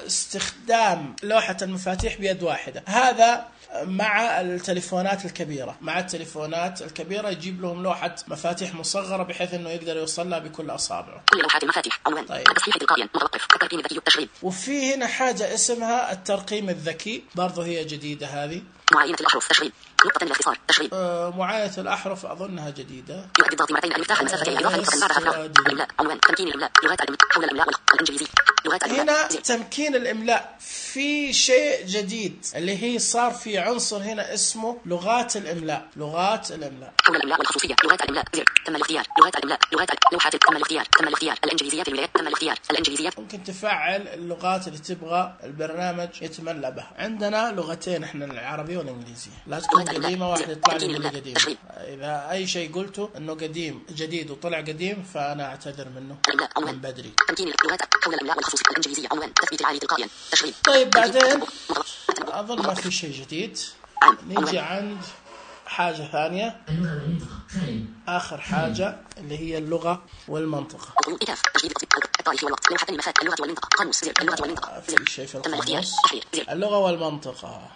S1: استخدام لوحة المفاتيح بيد واحدة. هذا مع التليفونات الكبيرة. مع التليفونات الكبيرة يجيب لهم لوحة مفاتيح مصغرة بحيث انه يقدر يوصل لها بكل اصابعه.
S4: كل لوحات المفاتيح عنوان
S1: طيب.
S4: التصحيح تلقائيا متوقف الترقيم الذكي التشغيل.
S1: وفي هنا حاجة اسمها الترقيم الذكي برضو هي جديدة هذه.
S4: معاينة الأحرف تشغيل نقطة الاختصار تشغيل.
S1: آه معاينة الأحرف أظنها جديدة.
S4: يؤدي الضغط مرتين المفتاح المسافة إلى إضافة نقطة بعدها فراغ. الإملاء عنوان تمكين الإملاء لغات الإملاء حول الإملاء الإنجليزي. لغات
S1: هنا تمكين الإملاء في شيء جديد اللي هي صار في عنصر هنا اسمه لغات الإملاء. لغات الإملاء
S4: حول الإملاء والخصوصية. لغات الإملاء زر تم الاختيار. لغات الإملاء لغات لوحات تم الاختيار. تم الاختيار الإنجليزيات الولايات تم الاختيار. الإنجليزيات
S1: ممكن تفعل اللغات اللي تبغى البرنامج يتملى بها. عندنا لغتين احنا العربية والإنجليزية. لا تكون قديمة واحد يطلع لي من قديم. إذا أي شيء قلته إنه قديم جديد وطلع قديم فأنا أعتذر منه من بدري.
S4: تمكين اللغات حول الإملاء والخصوصية. الإنجليزية عنوان تثبيت العالي تلقائيا تشغيل.
S1: طيب بعدين أظن ما في شيء جديد. نيجي عند حاجة ثانية آخر حاجة اللي هي اللغة والمنطقة. في شيء في القاموس اللغة والمنطقة.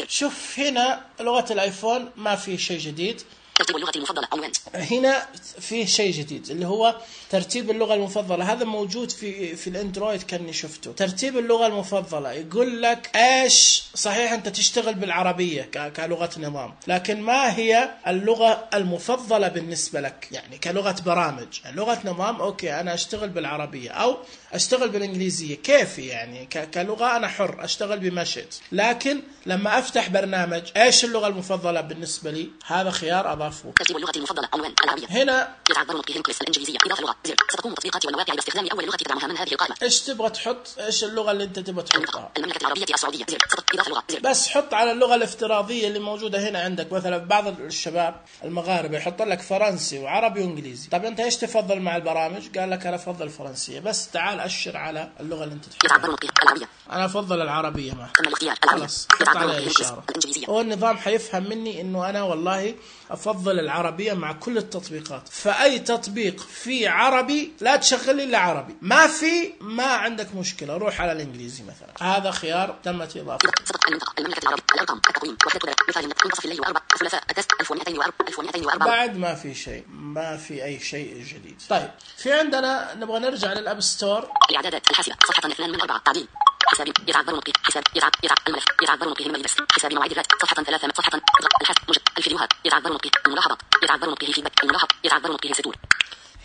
S1: شوف هنا لغة الآيفون ما في شيء جديد.
S4: ترتيب اللغة المفضلة عنوان.
S1: هنا فيه شيء جديد اللي هو ترتيب اللغة المفضلة. هذا موجود في في الاندرويد كاني شفته. ترتيب اللغة المفضلة يقول لك ايش صحيح انت تشتغل بالعربية كلغة نظام، لكن ما هي اللغة المفضلة بالنسبة لك؟ يعني كلغة برامج لغة نظام اوكي انا اشتغل بالعربية او اشتغل بالانجليزية كيفي، يعني كلغة انا حر اشتغل بمشيت، لكن لما افتح برنامج ايش اللغة المفضلة بالنسبة لي؟ هذا خيار اضافه يضاف.
S4: ترتيب اللغة المفضلة عنوان العربية.
S1: هنا
S4: يتعذر نطقه الإنجليزية الإنجليزية إضافة لغة زر. ستقوم التطبيقات والمواقع باستخدام أول لغة تدعمها من هذه القائمة.
S1: إيش تبغى تحط؟ إيش اللغة اللي أنت تبغى تحطها؟
S4: المملكة العربية السعودية زر. إضافة لغة زر.
S1: بس حط على اللغة الافتراضية اللي موجودة هنا عندك. مثلا بعض الشباب المغاربة يحط لك فرنسي وعربي وإنجليزي. طب أنت إيش تفضل مع البرامج؟ قال لك أنا أفضل الفرنسية. بس تعال أشر على اللغة اللي أنت تحبها.
S4: العربية.
S1: أنا أفضل العربية ما.
S4: العربية.
S1: خلاص حط عليها إشارة. هو النظام حيفهم مني إنه أنا والله أفضل العربية مع كل التطبيقات. فأي تطبيق في عربي لا تشغل إلا عربي. ما في ما عندك مشكلة روح على الإنجليزي مثلا. هذا خيار تمت إضافته.
S4: المملكة العربية الأرقام التقويم وحدة مثال منتصف الليل وأربع ثلاثاء التست ألف ومئتين وأربعة.
S1: بعد ما في شيء ما في أي شيء جديد. طيب في عندنا نبغى نرجع للأب ستور.
S4: الإعدادات الحاسبة صفحة اثنان من أربعة تعديل حساب يتعذر نطقه حساب يتعذر يتعذر الملف يتعذر نطقه الملبس حساب مواعيد الرات صفحة ثلاثة صفحة الحسب مجد الفيديوهات يتعذر نطقه الملاحظات يتعذر نطقه فيدباك الملاحظ يتعذر نطقه ستور.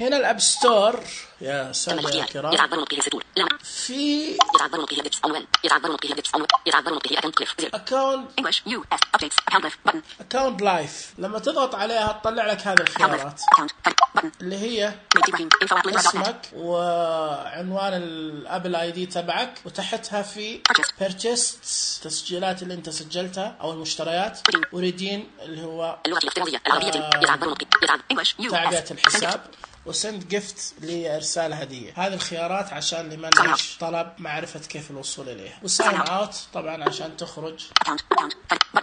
S1: هنا الأب ستور يا سادة الكرام
S4: يتعذر نطقه ستور
S1: في
S4: يتعذر نطقه ديبس عنوان يتعذر نطقه ديبس عنوان يتعذر نطقه أكاونت كليف
S1: أكاونت
S4: English U S updates account life button
S1: أكاونت لايف. لما تضغط عليها تطلع لك هذه الخيارات اللي هي اسمك وعنوان الابل اي دي تبعك وتحتها في purchased تسجيلات اللي انت سجلتها او المشتريات وريدين اللي هو
S4: اللغة الافتراضية العربية يتعذر نطقه يتعذر English U S
S1: تعبئة الحساب وسند جيفت لإرسال هدية. هذه الخيارات عشان اللي ما ليش طلب معرفة كيف الوصول إليها. وساين اوت طبعا عشان تخرج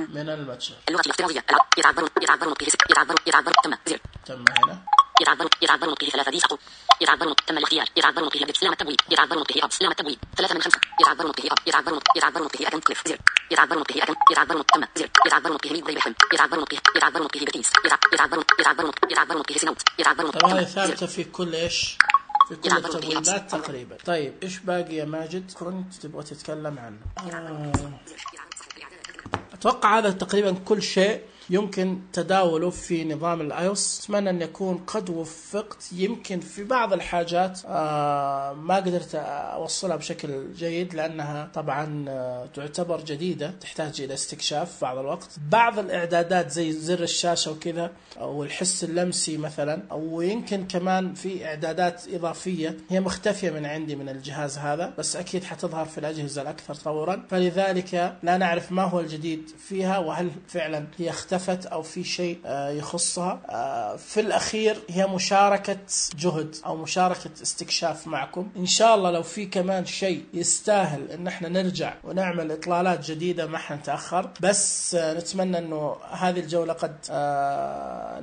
S1: من المتجر.
S4: اللغة الافتراضية يتعذر يتعذر نطقه يتعذر يتعذر تم زر
S1: تم هنا
S4: يتعذر يتعذر نطقه ثلاثة دي سقط يتعذر نطقه تم الاختيار يتعذر نطقه بدء سلام التبويب يتعذر نطقه أب سلام التبويب ثلاثة من خمسة يتعذر نطقه أب يتعذر نطقه يتعذر نطقه أكن كليف زر يتعذر نطقه أكن يتعذر نطقه تم زر يتعذر نطقه ميد ضيبهم يتعذر نطقه يتعذر نطقه بتيس يتعذر يتعذر نطقه يتعذر نطقه سنوت يتعذر نطقه.
S1: طبعا هذه ثابتة في كل إيش في كل التبويبات تقريبا. طيب إيش باقي يا ماجد كنت تبغى تتكلم عنه؟ آه. أتوقع هذا تقريبا كل شيء يمكن تداوله في نظام الايوس. اتمنى ان يكون قد وفقت. يمكن في بعض الحاجات آه ما قدرت اوصلها بشكل جيد لانها طبعا آه تعتبر جديدة تحتاج الى استكشاف بعض الوقت. بعض الاعدادات زي زر الشاشة وكذا او الحس اللمسي مثلا او يمكن كمان في اعدادات اضافية هي مختفية من عندي من الجهاز هذا بس اكيد حتظهر في الاجهزة الاكثر تطورا. فلذلك لا نعرف ما هو الجديد فيها وهل فعلا هي اختفت أو في شيء يخصها. في الأخير هي مشاركة جهد أو مشاركة استكشاف معكم. إن شاء الله لو في كمان شيء يستاهل إن احنا نرجع ونعمل إطلالات جديدة ما حنتأخر. بس نتمنى إنه هذه الجولة قد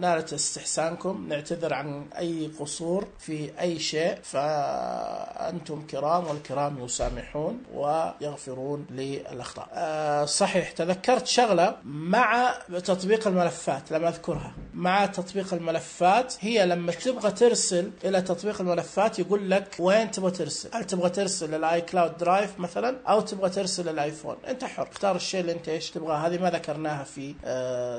S1: نالت استحسانكم. نعتذر عن أي قصور في أي شيء فأنتم كرام والكرام يسامحون ويغفرون للأخطاء. صحيح تذكرت شغلة مع تطبيق الملفات لما أذكرها. مع تطبيق الملفات هي لما تبغى ترسل إلى تطبيق الملفات يقول لك وين تبغى ترسل. هل تبغى ترسل للآي كلاود درايف مثلا أو تبغى ترسل للآيفون. أنت حر اختار الشيء اللي أنت إيش تبغى. هذه ما ذكرناها في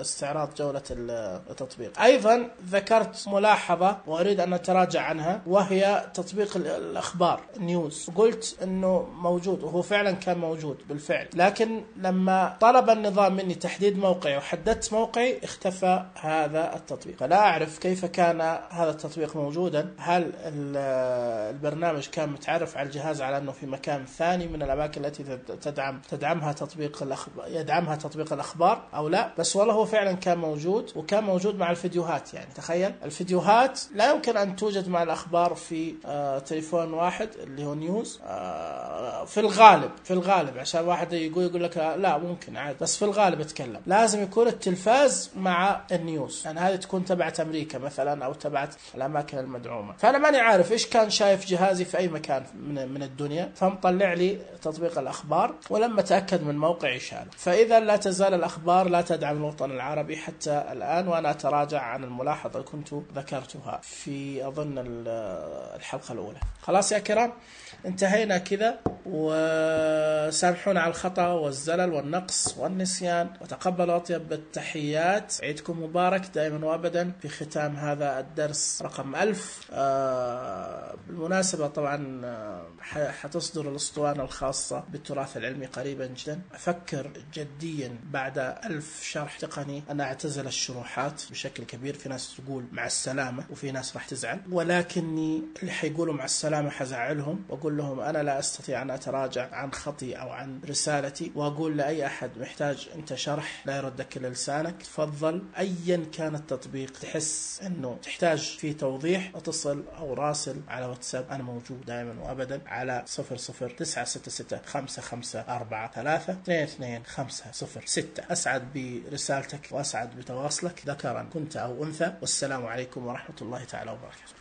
S1: استعراض جولة التطبيق. أيضا ذكرت ملاحظة وأريد أن أتراجع عنها وهي تطبيق الأخبار نيوز. قلت أنه موجود وهو فعلا كان موجود بالفعل لكن لما طلب النظام مني تحديد موقعي وحددت موقعي اختفى هذا التطبيق. فلا أعرف كيف كان هذا التطبيق موجودا. هل البرنامج كان متعرف على الجهاز على أنه في مكان ثاني من الأماكن التي تدعم تدعمها تطبيق الأخبار يدعمها تطبيق الأخبار أو لا. بس والله هو فعلا كان موجود وكان موجود مع الفيديوهات. يعني تخيل الفيديوهات لا يمكن أن توجد مع الأخبار في آه تليفون واحد اللي هو نيوز آه في الغالب في الغالب عشان واحد يقول يقول لك لا ممكن عادي بس في الغالب اتكلم لازم يكون التلفاز مع النيوز. يعني هذه تكون تبعت أمريكا مثلا أو تبعت الأماكن المدعومة. فأنا ماني عارف إيش كان شايف جهازي في أي مكان من من الدنيا فمطلع لي تطبيق الأخبار ولما تأكد من موقعي شاله. فإذا لا تزال الأخبار لا تدعم الوطن العربي حتى الآن وأنا أتراجع عن الملاحظة اللي كنت ذكرتها في أظن الحلقة الأولى. خلاص يا كرام انتهينا كذا وسامحونا على الخطأ والزلل والنقص والنسيان وتقبلوا أطيب بالتحية. تحيات، عيدكم مبارك دائما وأبدا في ختام هذا الدرس رقم ألف. آه بالمناسبة طبعا حتصدر الأسطوانة الخاصة بالتراث العلمي قريبا جدا. أفكر جديا بعد ألف شرح تقني أن أعتزل الشروحات بشكل كبير. في ناس تقول مع السلامة وفي ناس راح تزعل، ولكني اللي حيقولوا مع السلامة حزعلهم وأقول لهم أنا لا أستطيع أن أتراجع عن خطي أو عن رسالتي. وأقول لأي أحد محتاج أنت شرح لا يردك إلا لسانك، تفضل أيا كان التطبيق تحس أنه تحتاج فيه توضيح اتصل أو راسل على واتساب. أنا موجود دائما وأبدا على صفر صفر تسعة ستة ستة خمسة خمسة أربعة ثلاثة اثنين اثنين خمسة صفر ستة. أسعد برسالتك وأسعد بتواصلك ذكرا كنت أو أنثى. والسلام عليكم ورحمة الله تعالى وبركاته.